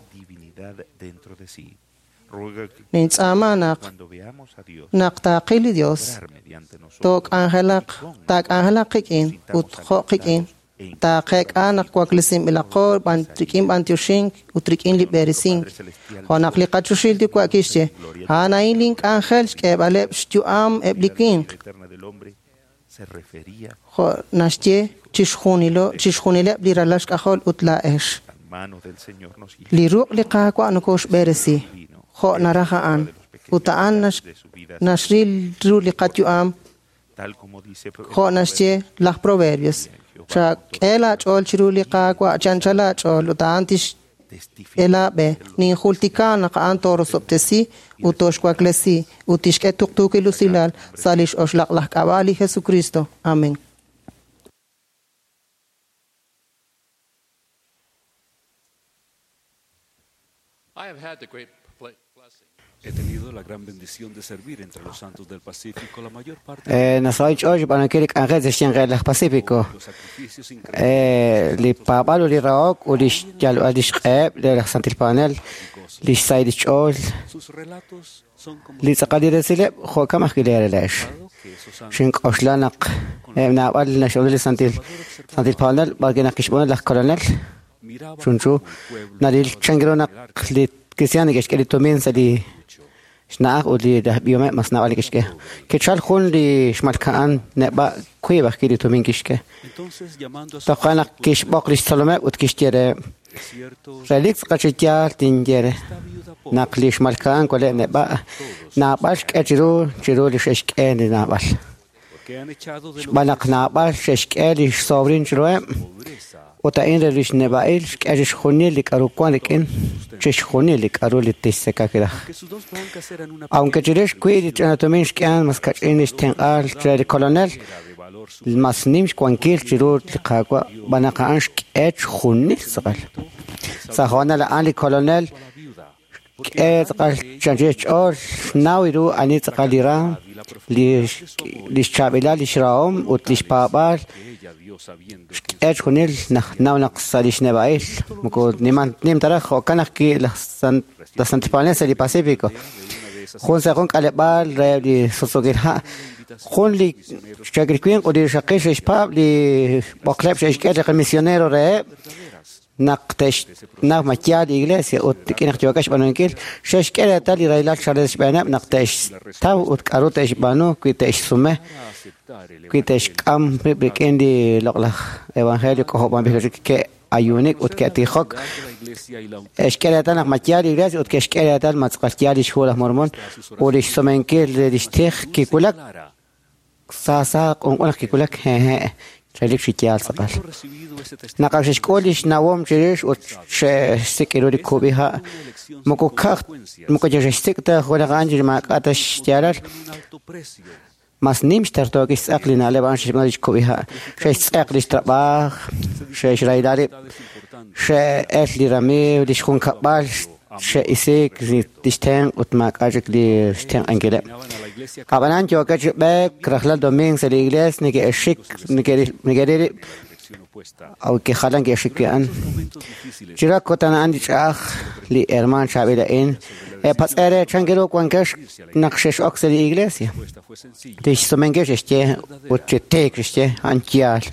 nintz'aama naq naq taaqil li Dios took'anjelaq taak'anjelaq qik'in ut jo' qik'in taaqeek'a naq waklesinb'ilaqo rik'in b'antioxink ut rik'in li b'eresink. Jo' naq li qachoxahil Yuwa' kixye a'an a'in link'anjel xk'eeb'aleb' xyu'am eb' li winq. Jo' naxye chixjunileb' li ralal xk'ajol ut laa'ex. Li ruq' li Qaawa' nokoxb'eresi jo' naraj a'an ut a'an naxril ru li qayu'am jo' naxye laj Proverbios. Chak'e laach'ool chiru li Qaawa' chi anchal laach'ool ut a'an tixk'e laab'e. Ninjultika naq a'an toorosob'tesi ut toxwaklesi ut tixk'e tuqtuukil usilal sa' lix oxlaq'laj k'ab'a' li Jesucristo. Amén. Nasaho' inch'ool xb'aanunkil li k'anjel sa' xyanq laj Pacifico. Li paab'aal ut li rahok ut li xyalb'al lix q'eheb' re laj Santil Paab'anel, li xsahil lix ch'ool, li tz'aqal li resileb' jo'kan ajwi' li relex. Xink'oxla naq eb' naab'al naxb'aanu li Santil Paab'anel b'arwi' naq kixb'aanu laj Kolonel chunchu naril chan ru naq li cristiano neke'xk'e li tumin sa' li xna'aj ut li b'ihomeb' mas naab'al neke'xk'e. Kichal jun li xmalka'an neb'a' wiib' ajwi' li tumin kixk'e. Toja' naq kixb'oq lix tzolomeb' ut kixye reheb': Relik tz'aqal chi yaal tinye re naq li xmalka'an waleb' neb'a' naab'al xk'e chiru chiru li xe'xk'e li naab'al. Xb'aan naq naab'al xe'xk'e li xsobrin chiruheb', ut a'in re lix neb'a'il xk'e chixjunil li k'a'ru wan rik'in, chixjunil li k'a'ru li tixtzeka kiraj. Aunque chirix wiib' li ch'ina tumin xk'ehan mas kach'in lix tenq'aal re li Kolonel, mas nim xwankil chiru li Qaawa' xb'aan naq a'an xk'e chixjunil tz'aqal. Sa' hoonal a'an li Kolonel xk'e tz'aqal chanchil xch'ool xnaw ru ani tz'aqal li raam, lix chaab'ilal lix rahom ut lix paab'aal xk'e chixjunil naw naq sa' lix neb'a'il moko nim ta raj jo'kan ajwi' laj Santil Paab'anel sa' li Pacifico. Jun sa' jun k'aleb'aal re li suttz'ukil ha', jun li chaakil winq ut li rixaqil xe'xpaab' li b'oqleb' xe'xk'e li misionero reheb' naq te'xnaw ma yaal li iglesia ut rik'in naq yookeb' xb'aanunkil xe'xk'e reetal li rahilal chalen xb'eeneb' naq te'xtaw ut k'a'ru te'xb'aanu wi te'xsume wi te'xk'am rib' rik'in li loq'laj evangelio k'ojob'anb'il wi'chik ke'ayuunik ut ke'tijok xk'e reetal naq ma yaal li iglesia ut ke'xk'e reetal ma tz'aqal yaal lix hu laj Mormon ut lix sumenkil lix tij kiwulak sa sa q'unq'un naq kiwulak hehe' relik chi yaal tz'aqal. Naq ak xe'xk'ul lix nawom chirix ut xe'xsik' ru li kub'iha' moko ka'aj moko xe'xsik' ta junaq a'an chi maak'a' ta xyaalal mas nim xtartook xtz'aq li na'leb' a'an xe'xb'aanu lix kub'iha'. Xe'xtz'eq lix trab'aaj, xe'xrahila rib', xe'el li ramiiw, lix junkab'al, xe'isiik lix tenq' ut maak'a' chik li xtenq'ankileb'. Ab'anan yookeb' chi b'eek rajlal domingo sa' li iglees neke'xik neke'ril rib' aunque jalan ke'xik wi' a'an. Chiru kutan a'an li ch'a'aj li hermaan chaab'il a'in epatz'e re chan ru wankex naq xex'ok sa' li iglesia. Lix sumenkil xe'xye ut chi tiik xe'xye a'an yaal.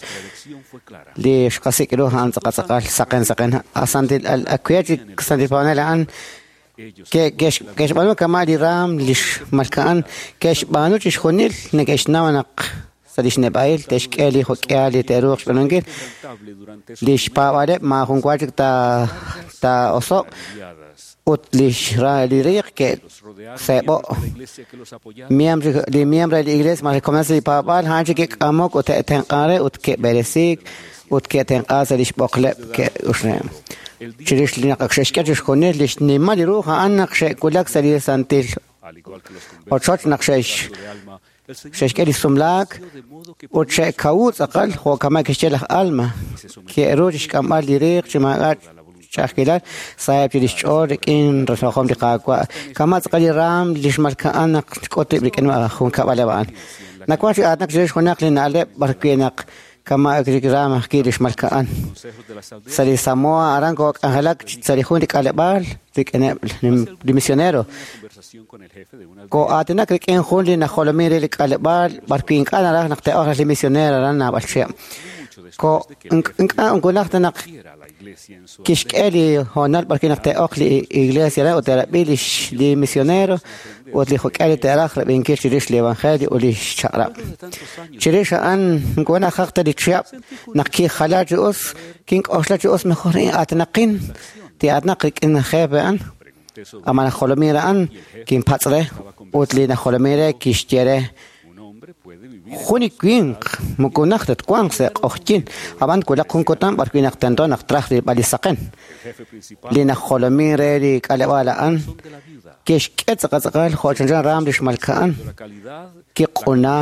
Li xqasik' ru a'an tz'aqal tz'aqal saqen saqen asantil akuya chi Santil Paab'anel a'an ke'xb'aanu kama' li raam lix malka'an ke'xb'aanu chixjunil neke'xnaw naq sa' lix neb'a'il te'xk'e li jo'k'ihal li te'ruuq xb'aanunkil lix paab'aaleb' maajun wa chik taa'oso'q ut lix li riiq ke'seeb'o'. Li miembro de la iglesia mas komonil li paab'aal a'an chik ke'k'amok ut te'tenq'an re ut ke'b'eresiik ut ke'tenq'aak sa' lix b'oqleb' ke'uxneb'. Chirix li naq xe'xk'e chixjunil lix nimal li ru a'an naq xe'wulak sa' li santil ochoch naq xe'xk'e li sumlaak ut xe'kawu tz'aqal jo' kama' kixye laj Alma ke'ru chixk'amb'al li riiq chi maak'a' ch'a'ajkilal saheb' chi lix ch'ool rik'in rajom li Qaawa' kama' tz'aqal li raam li xmalka'an naq xk'ut rib' rik'in junkab'aleb' a'an. Nawank chi aatinak chirix junaq li na'leb' b'arwi' naq kama' li raam ajwi' li xmalka'an. Sa' li Samoa aran kook'anjelak sa' li jun li k'aleb'aal rik'ineb' li misionero. Koo'aatinak rik'in jun li najolomin re li k'aleb'aal b'arwi' ink'a' naraj naq te'oq li misionero aran naab'al chihab'. Ink'a' nkunaj ta naq kixk'e li hoonal b'arwi' naq te'oq li iglesia re ut te'rab'i li misionero ut li jo'k'e li te'raj rab'inkil chirix li evangelio ut li xchaq'rab'. Chirix a'an nkunaj jaq ta li chihab' naq kijala chi us kink'oxla chi us mejor atinaqin ti'atinaq rik'in jefe a'an. Ama najolomin re a'an kinpatz' re ut li najolomin re kixye re jun li winq moko naj ta twanq sa' q'oqyink ab'an twulaq jun kutan b'arwi' naq tento naq traj rilb'al li saqen. Li najolomin re li k'aleb'aal a'an kixk'e tz'aqal tz'aqal jo' chanchan raam li xmalka'an kiq'una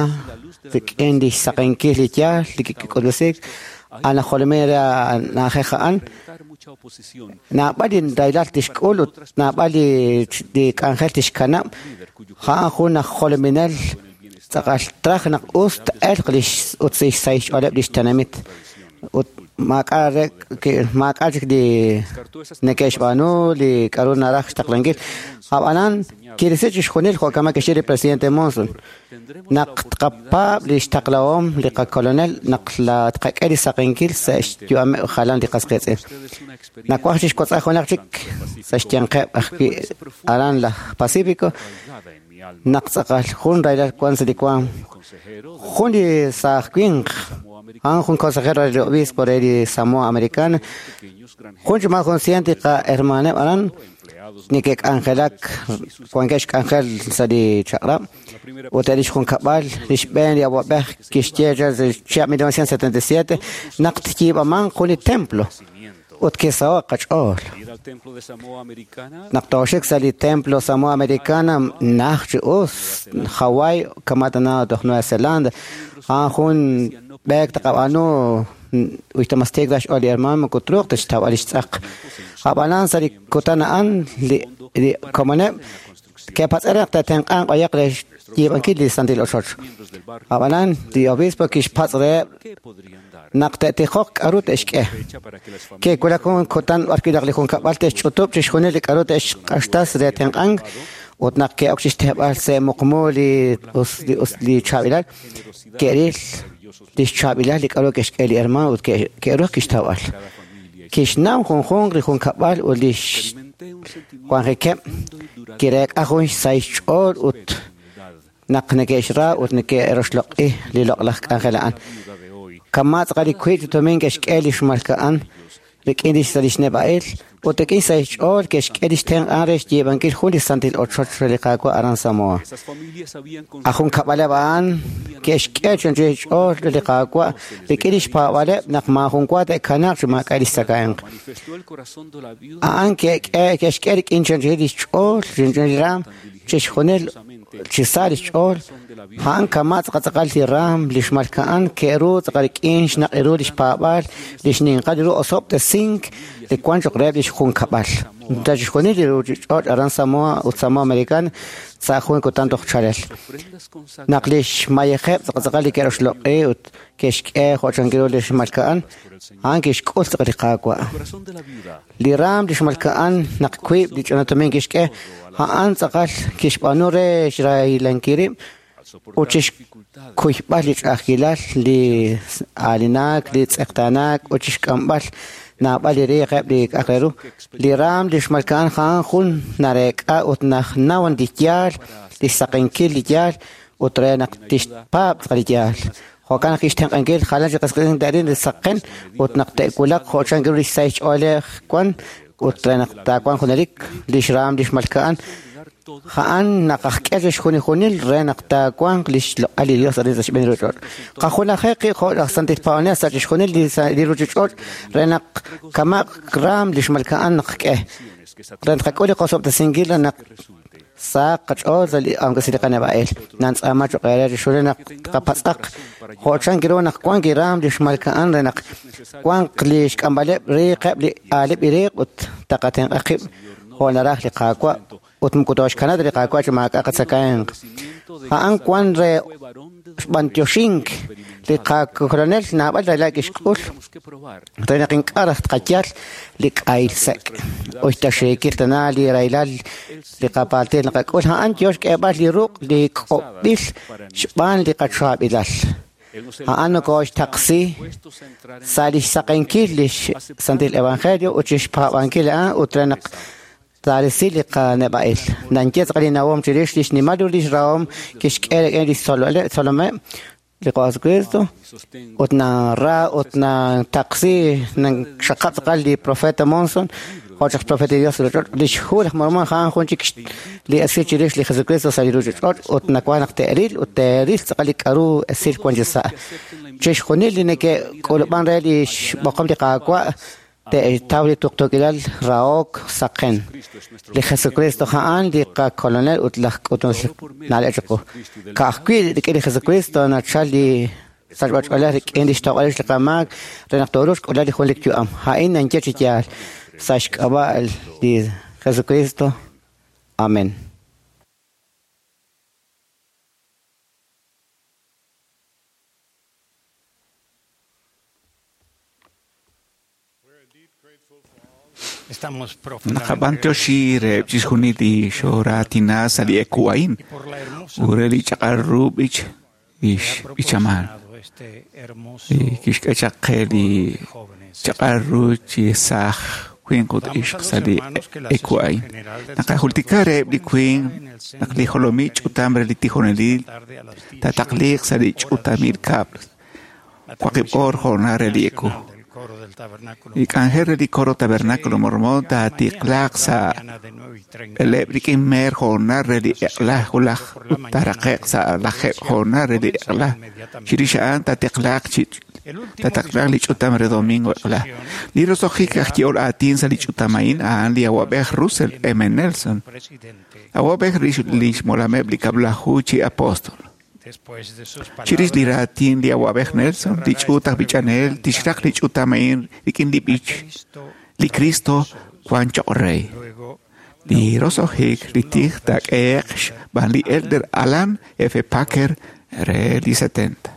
rik'in li xsaqenkil li yaal li kik'utb'esiik. A'an aj jolominel re na'ajej a'an. Naab'al li rahilal tixk'ul ut naab'al li k'anjel tixkanab'. A'an jun aj jolominel tz'aqal traj naq us t-elq lix ut xsahil xch'ooleb' lix tenamit. Ut maak'a' chik li neke'xb'aanu li k'a'ru naraj xtaqlankil. Ab'anan kirisi chixjunil jo' kama kixye li presidente Monson. Naq tqapaab' li xtaqlahom li qakolonel naq tqak'e li saqenkil sa' xyu'ameb' jalan li qas qiitz'in. Nawaj chixwotz'aj junaq chik sa' xyanqeb' ajwi' aran laj Pacífico naq tz'aqal jun rahilal wan sa' li waam. Jun li saaj winq, a'an jun consejero re li obispo re li Samoa Americana, jun chi mas jun cien li qahermaneb' aran neke'k'anjelak wankeb' xk'anjel sa' li chaq'rab' ut eb' lix junkab'al li xb'een li awa'b'ej kixye re sa' chihab' 1977 naq tyiib'amanq jun li templo ut kisaho' qach'ool. Naq tooxik sa' li templo Samoa Americana naj chi us Hawaii kama' tana toj Nueva Zelanda, a'an jun b'eek taqab'aanu uyta mas tiik raj xch'ool li hermano moko truuq ta xtawb'al lix tz'aq. Ab'anan sa' li kutan a'an li komoneb' ke'patz'e re naq te'tenq'anq b'ayaq re xyiib'ankil li santil ochoch. Ab'anan li obispo kixpatz' reheb' naq te'tijoq k'a'ru te'xk'e. Ke'wulak jun kutan b'arwi' naq li junkab'al te'xch'utub' chixjunil li k'a'ru te'xq'axtas re tenq'ank ut naq ke'ok chixteeb'al sa' muqmu li us li chaab'ilal, ke'ril lix chaab'ilal li k'a'ru ke'xk'e li hermano ut ke'ruj kixtawb'al. Kixnaw junjunq li junkab'al ut lix wanjikeb' kireek'a jun xsahil xch'ool ut naq neke'xra ut neke'roxloq'i li loq'laj k'anjel a'an. Kama' tz'aqal li wiib' chi tumin ke'xk'e li xmalka'an rik'in lix sa' lix neb'a'il ut rik'in xsahil xch'ool ke'xk'e lix tenq'an re xyiib'ankil jun li santil ochoch re li Qaawa' aran Samoa. Aj junkab'aleb' a'an ke'xk'e chi anchal xch'ool re li Qaawa' rik'in lix paab'aaleb' naq maajun wa te'kanaaq chi maak'a' lix tzakahemq. A'an ke'xk'e rik'in chi anchal lix ch'ool, chi anchal li raam, chixjunil chi sa' lix ch'ool. A'an kama' tz'aqal li raam li xmalka'an ke'ru tz'aqal rik'in xnaq' ru lix paab'aal, lix ninqal ru osob'tesink li wan cho'q reheb' lix junkab'al. Sa' chixjunil li ruuchich'och' aran Samoa ut Samoa Americana sa' jun kutan toj chalel. Naq lix mayejeb' tz'aqal li ke'roxloq'i ut ke'xk'e jo' chankil ru li xmalka'an, a'an kixk'ul tz'aqal li Qaawa'. Li raam li xmalka'an naq wiib' li ch'ina tumin kixk'e, a'an tz'aqal kixb'aanu re xrahilankil rib' ut chixkuyb'al li ch'a'ajkilal, li aalinaak, li tz'eqtaanaak ut chixk'amb'al naab'al li riiqeb' li k'a'aq re ru. Li raam li xmalka'an a'an jun nareek'a ut najnaw li yaal, li xsaqenkil li yaal ut re naq tixpaab' tz'aqal li yaal. Jo'kan naq kixtenq'ankil jalan chi qas qiitz'in te'ril li saqen ut naq te'wulaq jo' chank ru li xsahil xch'oolej wan ut re naq taawanq junelik li xraam li xmalka'an. A'an naq ajk'e chixjunil re naq taawanq li xloq'al li Dios arin sa' xb'een li ruuchich'och'. Qajunajej qib' jo' laj santil paab'anel sa' chixjunil li ruuchich'och' re naq kamaq raam li xmalka'an naq k'e. Re tqak'ul li qosob'tesinkil re naq sahaq qach'ool sa' li aunque li qaneb'a'il. Nantz'aama cho'q eere chixjunil naq tqapatz'aq jo' chank ru naq wank li raam li xmalka'an re naq wanq li xk'amb'aleb' riiqeb' li aaleb' li riiq ut taqatenq'a qib' jo' naraj li Qaawa' ut moko tooxkanab' ta li Qaawa' chi maak'a' qatzakahemq. A'an wan re xb'antioxink li qakolonel naab'al rahilal kixk'ul re naq ink'a' raj tqayal li k'ahil sek'. Uyta xiikil tana li rahilal li qapaaltil naqak'ul, a'an yo xk'eeb'al li ruq' li k'ob'il xb'aan li qachaab'ilal. A'an nokooxtaqsi sa' li xsaqenkil li Santil Evangelio ut chixpaab'ankil a'an ut re naq taarisi li qaneb'a'il. Nanye tz'aqal li nawom chirix li xnimal ru lix rahom kixk'e rik'in li xtzolomeb' li Jesucristo ut nara ut nataqsi naxaqab' tz'aqal li profeta Monson jo' chaq profeta li Dios sa' ruuchich'och'. Lix hu laj Mormon a'an jun chik li esil chirix li Jesucristo sa' li ruuchich'och' ut nawank naq te'ril ut te'ril tz'aqal li k'a'ru esil wan chi sa'. Chixjunil li neke'k'ulub'an re li xb'oqom li Qaawa' te'taw li tuqtuukilal rahok saqen. Li Jesucristo a'an li qakolonel ut laj k'utunel na'leb' chiqu. Ka'ajwi' rik'in li Jesucristo nachal li sachb'a-ch'oolej rik'in lix tojb'al rix li qamaak re naq tooruuq xk'ulb'al li junelik yu'am. A'in ninye chi yaal sa' xk'ab'a' li Jesucristo. Amén. Naqab'antioxi reheb' chixjunil li xoo'raatina sa' li eku a'in ut re li chaq'al ru b'ich lix b'ichamal li kixk'e chaq qe li chaq'al ru chi saaj winq ut ixq sa' li eku a'in. Naqajultika reheb' li winq naq li jolomil ch'utam re li tijonelil taataqliq sa' li ch'utamil kab'l waqib' oor jo'na re li eku. Li k'anjel re li coro Tabernáculo Mormón taatiqlaaq sa' b'eleb' rik'in meer jo'na re li eq'la wulaj ut taaraqe'q sa' lajeeb' jo'na re li eq'la. Chirix a'an taatiqlaaq li ch'utam re domingo eq'la. Li roso'jik aj yehol aatin sa' li ch'utam a'in a'an li awa'b'ej Russell M. Nelson, awa'b'ej lix molameb' li kab'laju chi apóstol. Chirix li raatin li awa'b'ej Nelson, li ch'uut aj b'ichanel tixraq li ch'utam a'in rik'in li b'ich li Cristo wan choq' rey. Li roso'jik li tij taak'ehe'q xb'aan li Elder Alan F. Packer re li 70.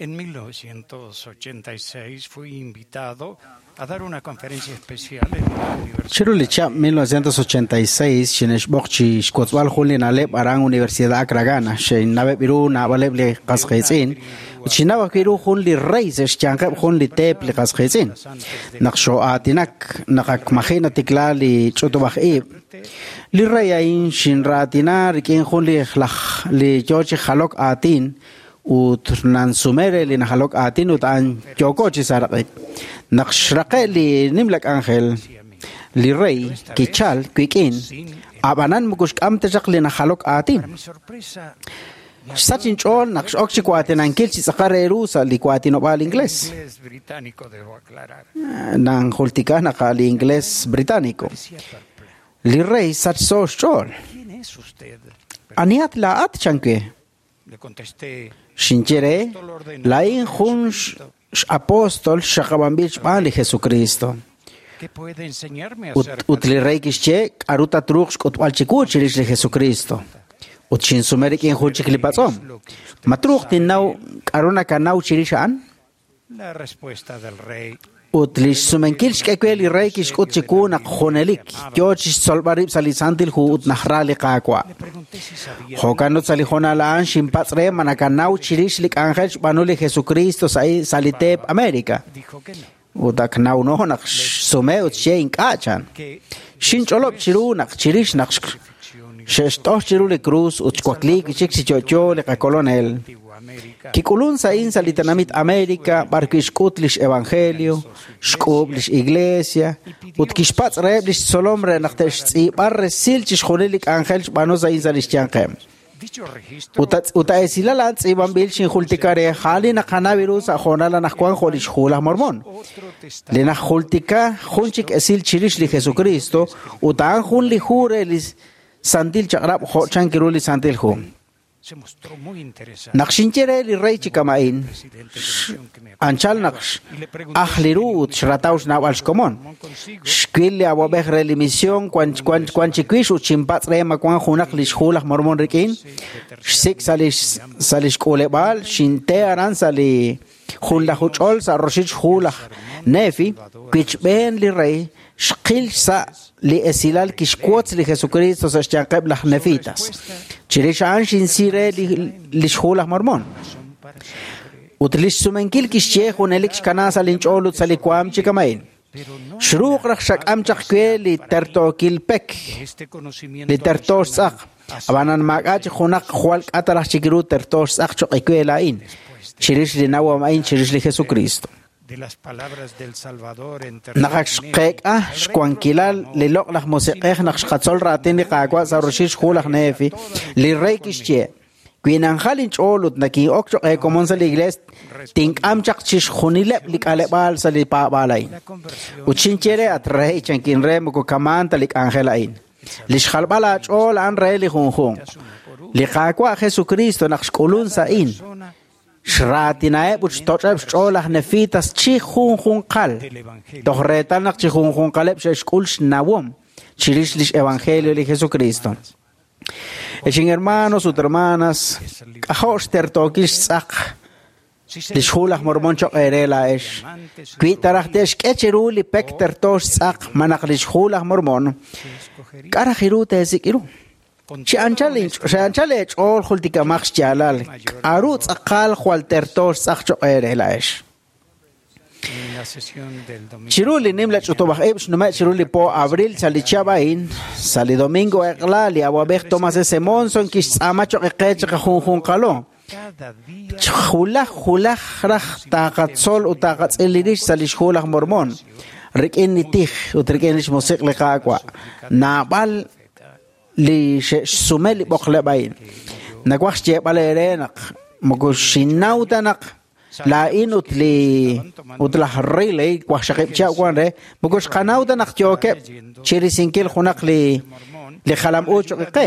En 1986 fui invitado a dar una conferencia especial en la Universidad. Chiru li chihab' 1986 xinexb'oq chi xwotzb'al jun li na'leb' aran Universidad Akragana xinaweb' ru naab'aleb' li qasqiitz'in ut xinaw ajwi' ru jun li rey sa' xyanqeb' jun li teep li qasqiitz'in. Naq xoo'aatinak naq ak maji' natikla li ch'utub'aj ib', li rey a'in xinraatina rik'in jun li laj li yoo chi jalok aatin ut nansumere li najalok aatin ut a'an yooko chi saraq'ik. Naq xraqe' li nimla k'anjel, li rey kichal wik'in, ab'anan moko xk'am ta chaq li najalok aatin. Xsach inch'ool naq x'ok chi waatinankil chi tz'aqal re ru sa' li waatinob'aal inglés. Nanjultika naq li inglés británico. Li rey sachso xch'ool. Anihat laa'at chanke. Xinye re, laa'in jun x'apóstol xaqab'anb'il xb'aan li Jesucristo. Ut li rey kixye k'aru tatruuq xk'utb'al chiwu chirix li Jesucristo. Ut xinsume rik'in jun chik li patz'om. Ma truuq tinnaw k'aru nakanaw chirix a'an? Ut li xsumenkil xk'e we li rey kixk'ut chiwu naq junelik yoo chi xtzolb'al rib' sa' li Santil Hu ut najra li Qaawa'. Jo'kan ut sa' li hoonal a'an xinpatz' re ma nakanaw chirix li k'anjel xb'aanu li Jesucristo sa' li teep América. Ut ak nawno naq xsume ut xye ink'a' chan. Xinch'olob' chiru naq chirix naq xe'xt'oj chiru li cruz ut xwakliik chik chi yo'yo li qakolonel. Kik'ulun sa'in sa' li tenamit América b'arwi' xk'ut lix evangelio, xk'uub' lix iglesia, ut kixpatz' reheb' lix tzolom re naq te'xtz'iib'a resil chixjunil li k'anjel xb'aanu sa'in sa' lix yanqeb'. Ut a'esilal a'an tz'iib'anb'il xinjultika re ja'al li naqanaw ru sa' hoonal anaqwan jo' lix Hu laj Mormón. Li najultika jun chik esil chirix li Jesucristo ut a'an jun li hu re li Santil Chaq'rab' jo' chank ru li Santil Hu. Naq xinye re li rey chi kama'in, anchal naq aj li ru ut xrataw xnaab'al xkomon. Xwil li awa'b'ej re li misión wan chiwix ut xinpatz' re ma wan junaq lix Hu laj Mormón rik'in. Xsik' sa' lix k'uuleb'aal, xinte aran sa' li junlaju ch'ol sa' roxil xhu laj Nefi, wichb'een li rey, xqil sa' li esilal kixwotz li Jesucristo sa' xyanqeb' laj Nefitas. Chirix a'an xinsi re lix Hu laj Mormón. Ut lix sumenkil kixye junelik xkana sa' linch'ool ut sa' li waam chi kama'in. Xruuq raj xak'am chaq we li tertookil pek, li tertoo xtz'aq. Ab'anan maak'a' chi junaq jwal k'ataraj chik ru tertoo xtz'aq choq' we laa'in. Chirix li nawom a'in chirix li Jesucristo. Naq ak xqeek'a xwankilal li loq' laj musiq'ej naq xqatzol raatin li Qaawa' sa' roxil xhu laj Nefi, li rey kixye, wi nanjal inch'ool ut nakin'ok choq' eekomon sa' li iglees, tink'am chaq chixjunileb' li k'aleb'aal sa' li paab'aal a'in. Ut xinye re at rey chankin re moko kamaan ta li k'anjel a'in. Li xjalb'al aach'ool a'an re li junjunq. Li Qaawa' Jesucristo naq xk'ulun sa'in, xraatinaheb' ut xtoch'eb' xch'ool laj Nefitas chi junjunqal, toj reetal naq chi junjunqaleb' xe'xk'ul xnawom chirix lix evangelio li Jesucristo. Ex hermanos ut hermanas, k'ajo' xtertookil xtz'aq lix hu laj Mormon choq' eere laa'ex. Wi taraj te'xk'e cheru li pek terto xtz'aq malaj lix hu laj Mormon, k'a' raj ru teesik' ru? Chi anchal eech'ool jultikamaq xyaalal, k'aru tz'aqal jwal terto xtz'aq choq' eere laa'ex. Chiru li nimla ch'utub'aj ib' xnume' chiru li po abril sa' li chihab' a'in, sa' li domingo eq'la li awab'ej Thomas S. Monson kixtz'aama choq' qe chiqajunjunqalo. Julaj julaj raj taqatzol ut taqatz'il li rix sa' lix hu laj Mormon, rik'in li tij ut rik'in lix musiq' li Qaawa'. Naab'al li xe'xsume li b'oqleb' a'in. Nawaj xyeeb'al eere naq moko xinnaw ta naq laa'in ut li ut laj Riley waqxaqib' chihab' wan re, moko xqanaw ta naq yookeb' chirisinkil junaq li jalam-uuch choq' qe.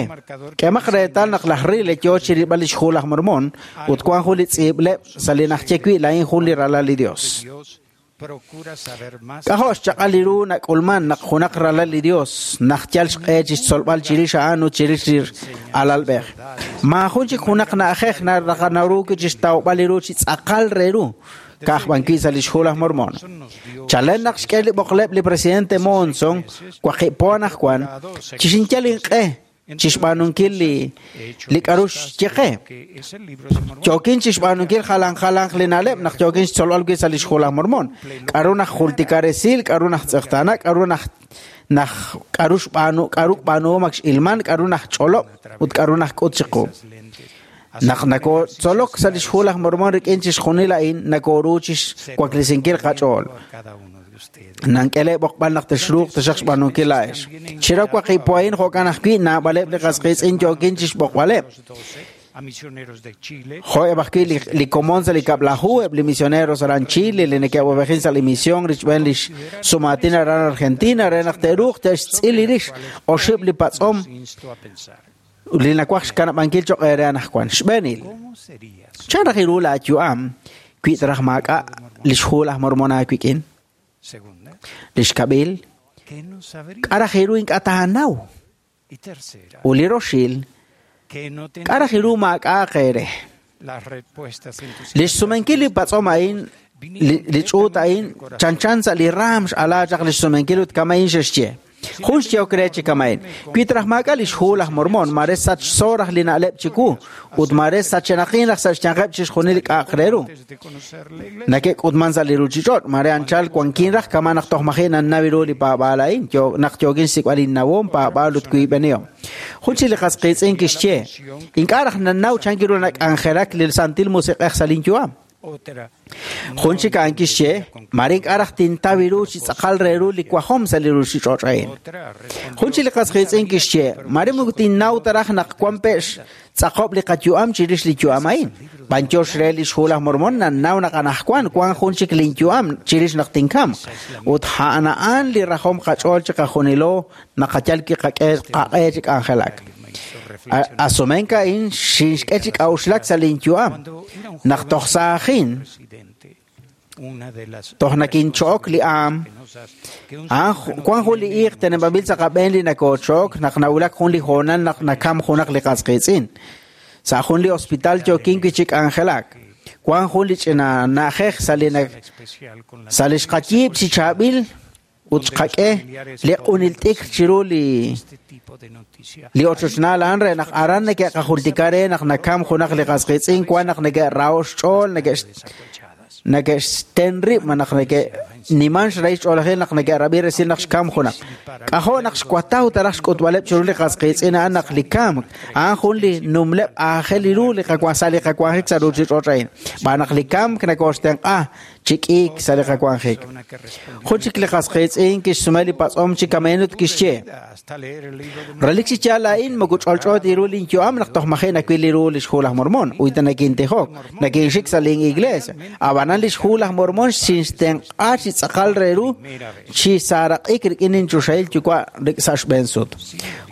K'emaq reetal naq laj Riley yoo chirilb'al lix hu laj Mormon ut wan jun li tz'iib'leb' sa' li najye wi' laa'in jun li ralal li Dios. K'ajo' xchaq'al li ru nak'ulman naq junaq ralal li Dios naq yal xq'e chixtzolb'al chirix a'an ut chirix li alalb'ej. Maajun chik junaq na'ajej naraqanaru wi' chixtawb'al li ru chi tz'aqal re ru, ka'aj b'an wi' sa' lix hu laj Mormon. Chalen naq xk'e li b'oqleb' li presidente Monson, waqib' po anaqwan, chixinyal inq'e chixb'aanunkil li k'aru xye qe. Yookin chixb'aanunkil jalan jalanq li na'leb' naq yookin xtzolb'al wi' sa' lix hu laj Mormon. K'aru naj jultika resil, k'aru naj tz'eqtaana, k'aru naj k'aru xb'aanu, k'aru b'aanuhom ak x'ilman, k'aru naj ch'olob' ut k'aru naj k'ut chiqu. Naq nakotzolok sa' lix hu laj Mormon rik'in chixjunil a'in, nakoru chixwaklisinkil qach'ool. Nank'ele b'oqb'al naq texruuq taxaq xb'aanunkil laa'ex. Chira waqib' po a'in jo'kan ajwi' naab'aleb' li qasqiitz'in yookin chixb'oqb'aleb'. Jo'eb' ajwi' li komon sa' li kab'laju, eb' li misioneros aran Chile, li neke'wab'ejin sa' li misión richb'een lix sumaatin aran Argentina, re naq te'ruuq te'xtz'il li rix oxib' li patz'om li nawaj xkanab'ankil choq' eere anaqwan. Xb'eenil, chan raj ru laayu'am wi taraj maak'a' lix hu laj Mormon aawik'in? Lix kab'il, k'a' raj ru ink'a' taanaw? Ut li roxil, k'a' raj ru maak'a' qeere? Lix sumenkil li patz'om a'in, li ch'uut a'in, chanchan sa' li raam x'alaa chaq lix sumenkil ut kama'in xe'xye. Jun xyeok re chi kama'in. Wi taraj maak'a' lix hu laj Mormon, mare sachso raj li na'leb' chiwu, ut mare sachenaqin raj sa' xyanqeb' chixjunil li k'a'aq re ru. Nake'k'utman sa' li ruuchich'och', mare anchal wankin raj kama' naq toj maji' nannaw ru li paab'aal a'in, naq yookin xsik'b'al innawom, paab'aal ut wiib'enihom. Jun chik li qasqiitz'in kixye, ink'a' raj nannaw chan ru nak'anjelak li Santil Musiq'ej sa' linyu'am. Jun chik a'an kixye, mare ink'a' raj tintaw ru chi tz'aqal re ru li wajom sa' li ruuchich'och' a'in. Jun chik li qasqiitz'in kixye, mare moko tinnaw ta raj naq wan pe'x tz'aqob' li qayu'am chirix li yu'am a'in. B'anyox re lix hu laj Mormon nannaw naq anaqwan wan jun chik linyu'am chirix naq tinkamq. Ut a'an a'an li rajom qach'ool chiqajunilo naqayal kiqak'e qaq'e chi k'anjelak. Asumenk a'in xinxk'e chi k'a'uxlak sa' linyu'am. Naq toj saajin, toj nakincho'ok li aam, wan jun li iiq teneb'anb'il sa' qab'een li nakoocho'ok naq nawulak jun li hoonal naq nakam junaq li qasqiitz'in. Sa' jun li hospital yookin wi' chi k'anjelak. Wan jun li ch'ina na'ajej sa' li xqayiib' chi chaab'il ut xqak'e li q'unil t'ikr chiru li ochochnaal a'an re naq aran neke'qajultika re naq nakam junaq li qasqiitz'in wan naq neke'raho xch'ool, neke'xten rib' naq neke'niman xrahil xch'oolajil naq neke'rab'i resil naq xkam junaq. K'ajo' naq xwataw taraj xk'utb'aleb' chiru li qasqiitz'in a'an naq li kamk a'an jun li numleb' aajel ru li sa' li qawanjik sa' ruuchich'och' a'in. B'aan naq li kamk nakooxtenq'a chi k'iik sa' li qawanjik. Jun chik li qas qiitz'in kixsume li patz'om chi kameen ut kixye: Relik chi yaal laa'in moko ch'olch'o ta ru linyu'am naq toj maji' nawil li ru lix Hu laj Mormon, ut nakintijok, nakinxik sa' lin iglesia. Ab'anan lix Hu laj Mormon xinxtenq'a chi tz'aqal re ru chi saaraq'ik rik'in inchoxahil yuwa' sa' xb'een sut.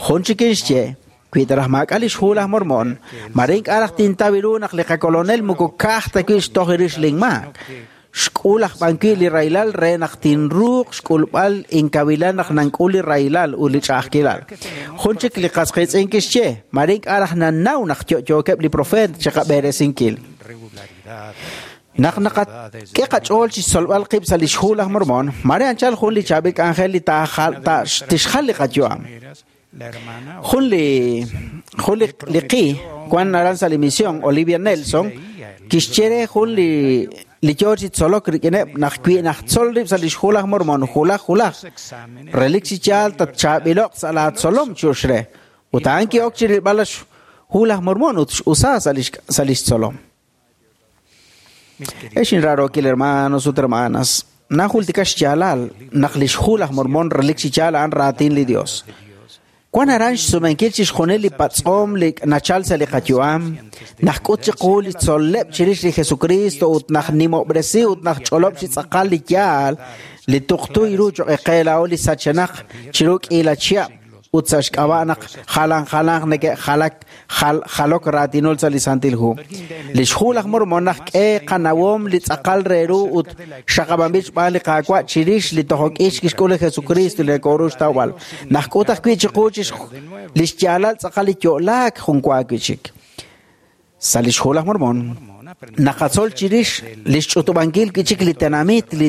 Jun chik kixye: Wi ta raj maak'a' lix Hu laj Mormon, mare ink'a' raj tintaw ru naq li qakolonel moko ka'aj ta wi' xtoj rix linmaak. Xk'ul aj b'an wi' li rahilal re naq tinruuq xk'ulb'al inkawilal naq nank'ul li rahilal ut li ch'a'ajkilal. Jun chik li qas qiitz'in kixye: Mare ink'a' raj nannaw naq yo'yookeb' li profeet chiqab'eresinkil. Naq naqak'e qach'ool chi xtzolb'al qib' sa' lix Hu laj Mormon, mare anchal jun li chaab'il k'anjel li tixjal li qayu'am. Jun li qi wan aran sa' li misión, Olivia Nelson, kixye re jun li yoo chi tzolok rik'ineb' naq wi najtzol rib' sa' lix Hu laj Mormon julaj julaj, relik chi yaal tatchaab'ilo'q sa' laatzolom chux re. Ut a'an ki'ok chi rilb'al lix Hu laj Mormon ut x'usa sa' lix tzolom. Ex inrarookil hermanos ut hermanas, najultika xyaalal naq lix Hu laj Mormon relik chi yaal a'an raatin li Dios. Wan aran xsumenkil chixjunil li patz'om li nachal sa' li qayu'am, najk'ut chiqu li tzol'leb' chirix li Jesucristo ut najnimob'resi ut najch'olob' chi tz'aqal li yaal li tuqtu ru choq' qe laa'o li sachenaq chiru k'iila chihab' ut sa' xk'ab'a' naq jalan jalanq neke'jalak jalok raatinul sa' li Santil Hu. Lix Hu laj Mormon najk'e qanawom li tz'aqal re ru ut xaqab'anb'il xb'aan li Qaawa' chirix li tojok'ix kixk'ul li Jesucristo li nakoru xtawb'al. Najk'ut ajwi' chiqu li xyaalal tz'aqal li yo'laak jun wa wi' chik. Sa' lix Hu laj Mormon naqatzol chirix lix ch'utub'ankil wi' chik li tenamit li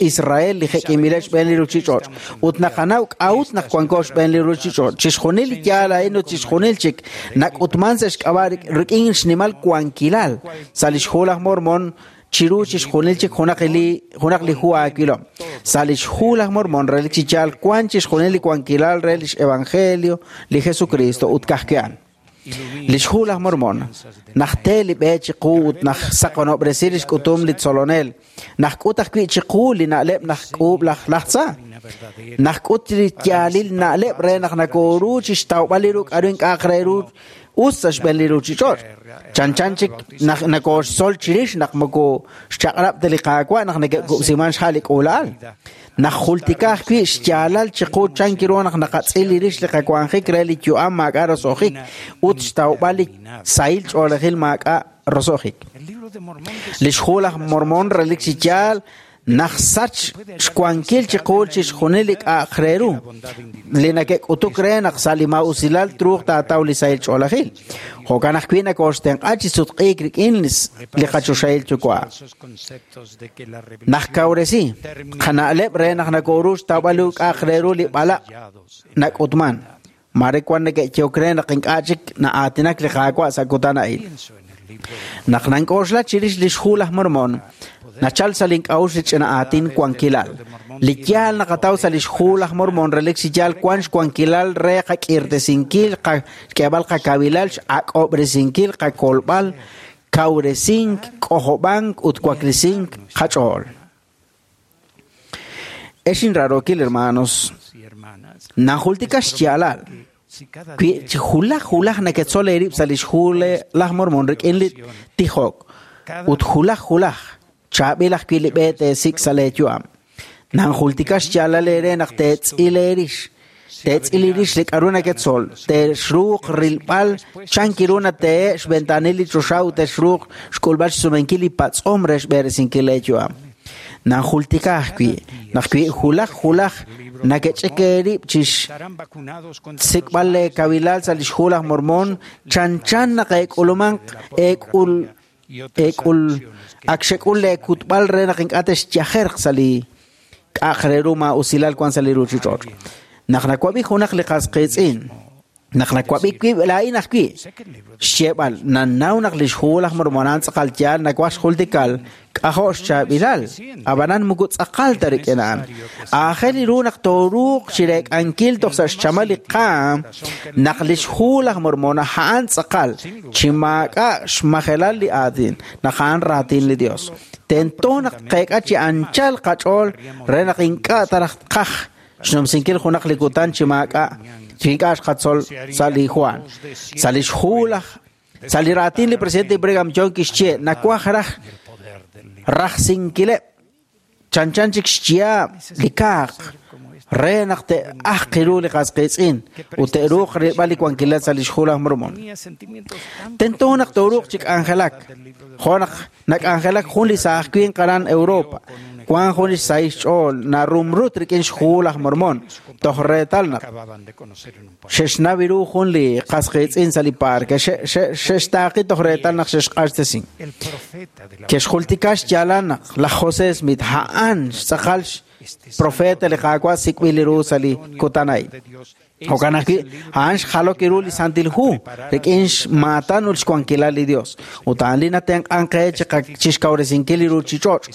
Israel li jek'inb'ileb' xb'een li ruchich'och' ut naqanaw k'a'ut naq wanko xb'een li ruchich'och'. Chixjunil li yaal a'in ut chixjunil chik nak'utman sa' xk'ab'a' rik'in xnimal wankilal sa' lix Hu laj Mormon chiru chixjunil chik junaq li hu aawilom. Sa' lix Hu laj Mormon relik chi yaal wan chixjunil li wankilal re lix Evangelio li Jesucristo ut ka'ajwi' Lix Hu laj Mormon najte li b'e chiqu ut najsaqonob'resi lix k'utum li tzolonel, najk'ut ajwi' chiqu li na'leb' najk'uub' laj tza, najk'ut li yaalil na'leb' re naq nakoru chi xtawb'al li ru k'aru ink'a'aq re ru us sa' xb'een li ruchich'och'. Chanchan chik nakoxtzol chirix naq moko xchaq'rab' ta li Qaawa' naq neke'kub'siman xha' li k'uula'al. Najultika ajwi' xyaalal chiqu chan kiru naq naqatz'il li rix li qawanjik re li yu'am maak'a' roso'jik ut xtawb'al li sahil ch'oolejil maak'a' roso'jik. Lix Hu laj Mormon relik chi yaal najsach xwankil chiqu chixjunil li k'a'aq re ru li neke'k'utuk re naq sa' li maa'usilal truuq taataw li sahil ch'oolejil. Jo'kan ajwi' nakoxtenq'a chi sutq'iik rik'in li qachoxahil yuwa'. Najkawresi qana'leb' re naq nakoru xtawb'al li k'a'aq re ru li b'alaq' nak'utman. Mare wan neke'yok re naq ink'a' chik na'aatinak li Qaawa' sa' kutan a'in. Naq nank'oxla chirix lix Hu laj Mormon, nachal sa' link'a'uxl li ch'ina aatin wankilal. Li yaal naqataw sa' lix Hu laj Mormon relik chi yaal wan xwankilal re qak'irtesinkil, xk'eeb'al qakawilal, x'ak'ob'resinkil, qakolb'al, kawresink, k'ojob'ank ut waklisink qach'ool. Ex inrarookil hermanos, najultika xyaalal wi julaj julaj neketzol eerib' sa' lix Hu laj Mormon rik'in li tijok ut julaj julaj chaab'il ajwi' li b'e teesik' sa' leeyu'am. Nanjultika xyaalal eere naq teetz'il eerix, teetz'il eerix li k'aru neketzol, teexruuq rilb'al chan kiru natehe' xventanil li choxa ut teexruuq xk'ulb'al xsumenkil li patz'om re xb'eresinkil leeyu'am. Nanjultika ajwi' naq wi julaj julaj nakech'ik eerib' chi xsik'b'al leekawilal sa' lix Hu laj Mormon chanchan naq eek'ulumanq eek'ul ak xek'ul leekutb'al re naq ink'a' texyajerq sa' li k'a'aq re ru maa'usilal wan sa' li ruchich'och'. Naq nawab'i junaq li qas qiitz'in, naq nawab'i wib' laa'in ajwi' xyeeb'al nannaw naq lix Hu laj Mormon a'an tz'aqal yaal nawaj xjultikal k'ajo' xchaab'ilal, ab'anan moko tz'aqal ta rik'in a'an. Aajel ru naq tooruuq chireek'ankil toj sa' xchamal li qaam naq lix Hu laj Mormon a'an tz'aqal chi maak'a' xmajelal li aatin, naq a'an raatin li Dios. Tento naq tqeek'a chi anchal qach'ool re naq ink'a' taraj tqaj xnumsinkil junaq li kutan chi maak'a' chi ink'a' xqatzol sa' li Juan. Sa' li xhu laj sa' li raatin li presidente Brigham Young kixye nawaj raj rajsinkileb' chanchan chik xyaab' li kaaq re naq te'ajq ru li qas qiitz'in ut te'ruuq rilb'al li wankilal sa' li xhu laj Mormon. Tento naq tooruuq chi k'anjelak, jo' naq nak'anjelak jun li saaj winq aran Europa, wan jun li xsahil xch'ool narumrut rik'in xhu laj Mormon, toj reetal naq xe'xnaw ru jun li qas qiitz'in sa' li parke, xe'xtaaqi toj reetal naq xe'xq'axtesin. Ke'xjultika xyaalal naq laj José Smith a'an xtz'aqal profeta li Qaawa' sik'b'il ru sa' li kutan a'in. Jo'kan ajwi' a'an xjalok ru li Santil Hu rik'in xmaatan ut xwankilal li Dios. Ut a'an li natenq'an qe chi xkawresinkil li ruuchich'och'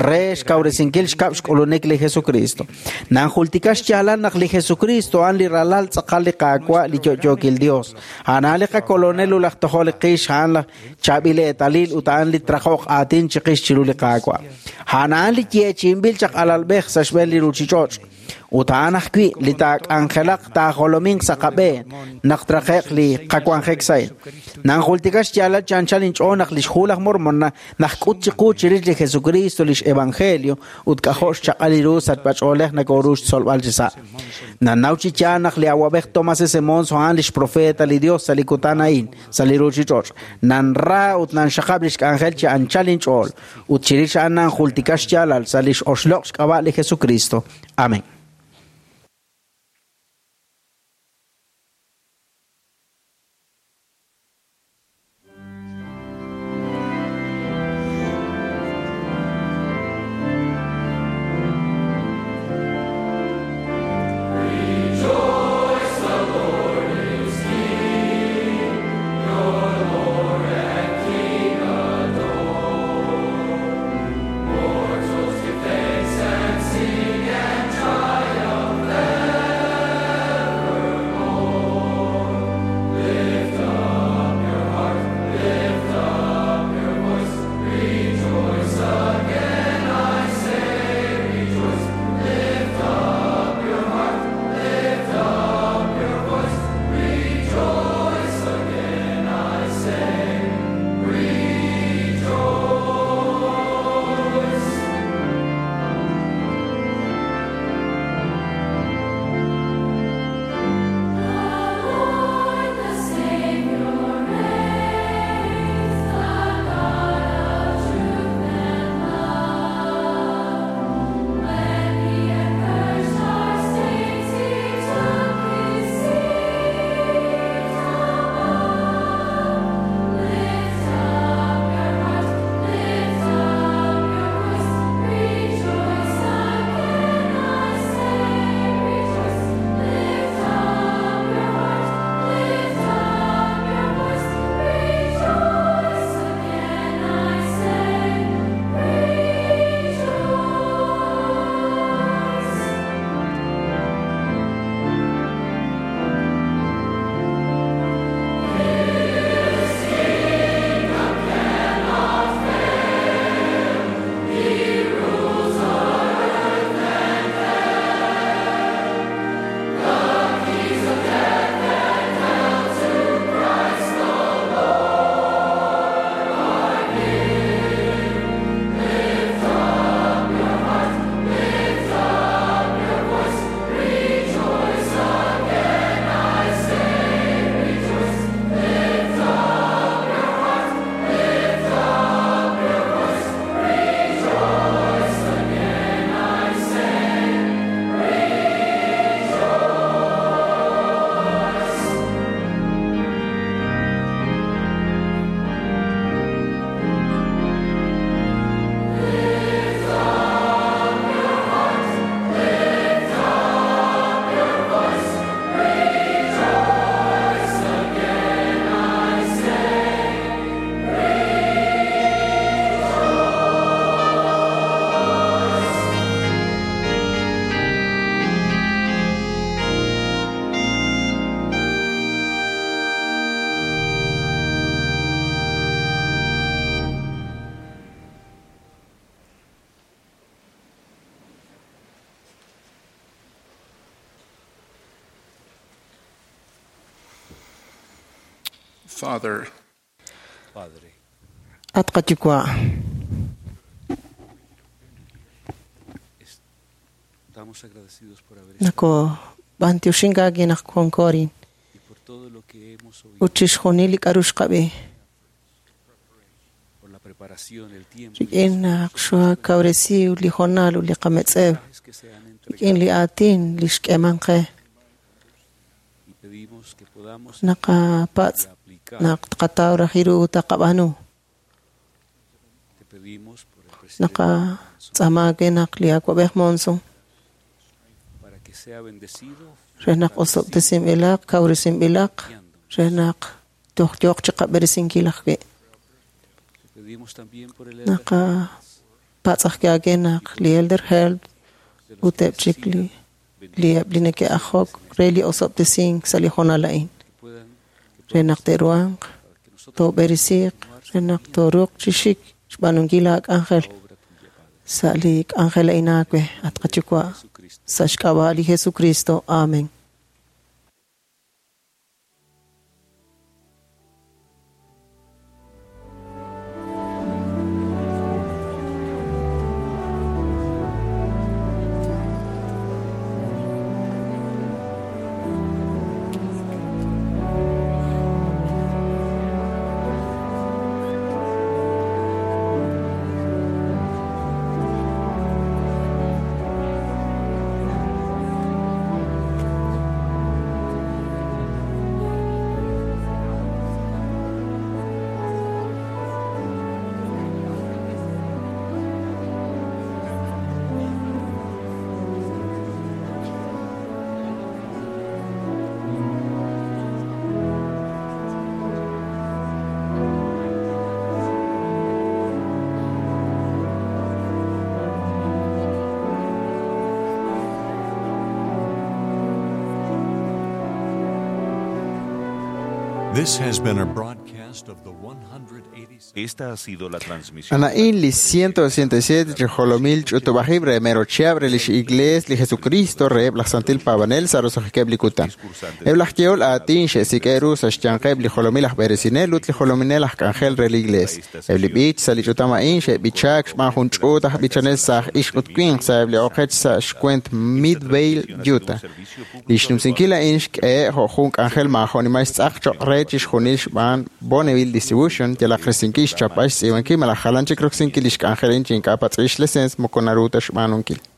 re xkawresinkil xkab' xk'ulunik li Jesucristo. Nanjultika xyaalal naq li Jesucristo a'an li ralal tz'aqal li Qaawa' li yo'yookil Dios. A'an li qakolonel ut laj tojol li qix, a'an laj chaab'il eetalil ut a'an li trajoq aatin chiqix chiru li Qaawa'. A'an a'an li yeechi'inb'il chaq alalb'ej sa' xb'een li ruuchich'och'. Ut a'an ajwi' li taak'anjelaq taajolominq sa' qab'een naq traqe'q li qawanjek sa'in. Nanjultika xyaalal chi anchal inch'ool naq li xhu laj Mormon najk'ut chiqu chirix li Jesucristo lix evangelio ut k'ajo' xchaq'al ru sachb'ach'oolej nakoru xtzolb'al chi sa'. Nanaw chi yaal naq li awab'ej Thomas S. Monson a'an lix profeta li Dios sa' li kutan a'in sa' li ruuchich'och'. Nanra ut nanxaqab' lix k'anjel chi anchal inch'ool ut chirix a'an nanjultika xyaalal sa' lix oxloq' xk'ab'a' li Jesucristo. Amén. Mortals give thanks and sing and try. Father, At qayuwa', nakob'antioxink aawe naq wanko arin ut chixjunil li k'a'ru xqab'i rik'in naq xokawresi li hoonal ut li qametz'ew rik'in li aatin li xk'eeman qe naqapatz' naq tqataw raj ru ut taqab'aanu naqatz'aama aawe naq li awa'b'ej Monson re naq osob'tesinb'ilaq kawresinb'ilaq re naq toj yooq chiqab'eresinkil ajwi' naqapatz' ajwi' aawe naq li Elder Held ut eb' chik li eb' li neke'ajok re li osob'tesink sa' li hoonal a'in re naq te'ruhanq toob'eresiiq re naq tooruuq chi xik xb'aanunkil aak'anjel sa' li k'anjel a'in aawe at qayuwa' sa' xk'ab'a' li Jesucristo. Amen. This has been a broadcast of the 187th. Esta ha sido la transmisión. Anaín li 187 chi jolomil ch'utub'ajib' re mero chihab' re lix Iglees li Jesucristo reheb' laj Santil Paab'anel sa' roso'jikeb' li kutan. Eb' laj yehol aatin xe'sik'e ru sa' xyanqeb' li jolomil aj b'eresinel ut li jolominel aj k'anjel re li Iglees. Eb' li b'ich sa' li ch'utam a'in xe'b'ichaak xb'aan jun ch'uut aj b'ichanel sa' aj ixq ut winq sa'eb' li oqech sa' xkwent Midvale, Utah. Li xnumsinkil a'in xk'ehe' jo' jun k'anjel maajo'nimal xtz'aq cho'q re chixjunil xb'aan Bonneville Distribution yalaq risinkil xchapb'al xtz'iib'ankil malaj jalan chik roksinkil li xk'anjel a'in chi ink'a' patz'b'il xleseens moko naru ta xb'aanunkil.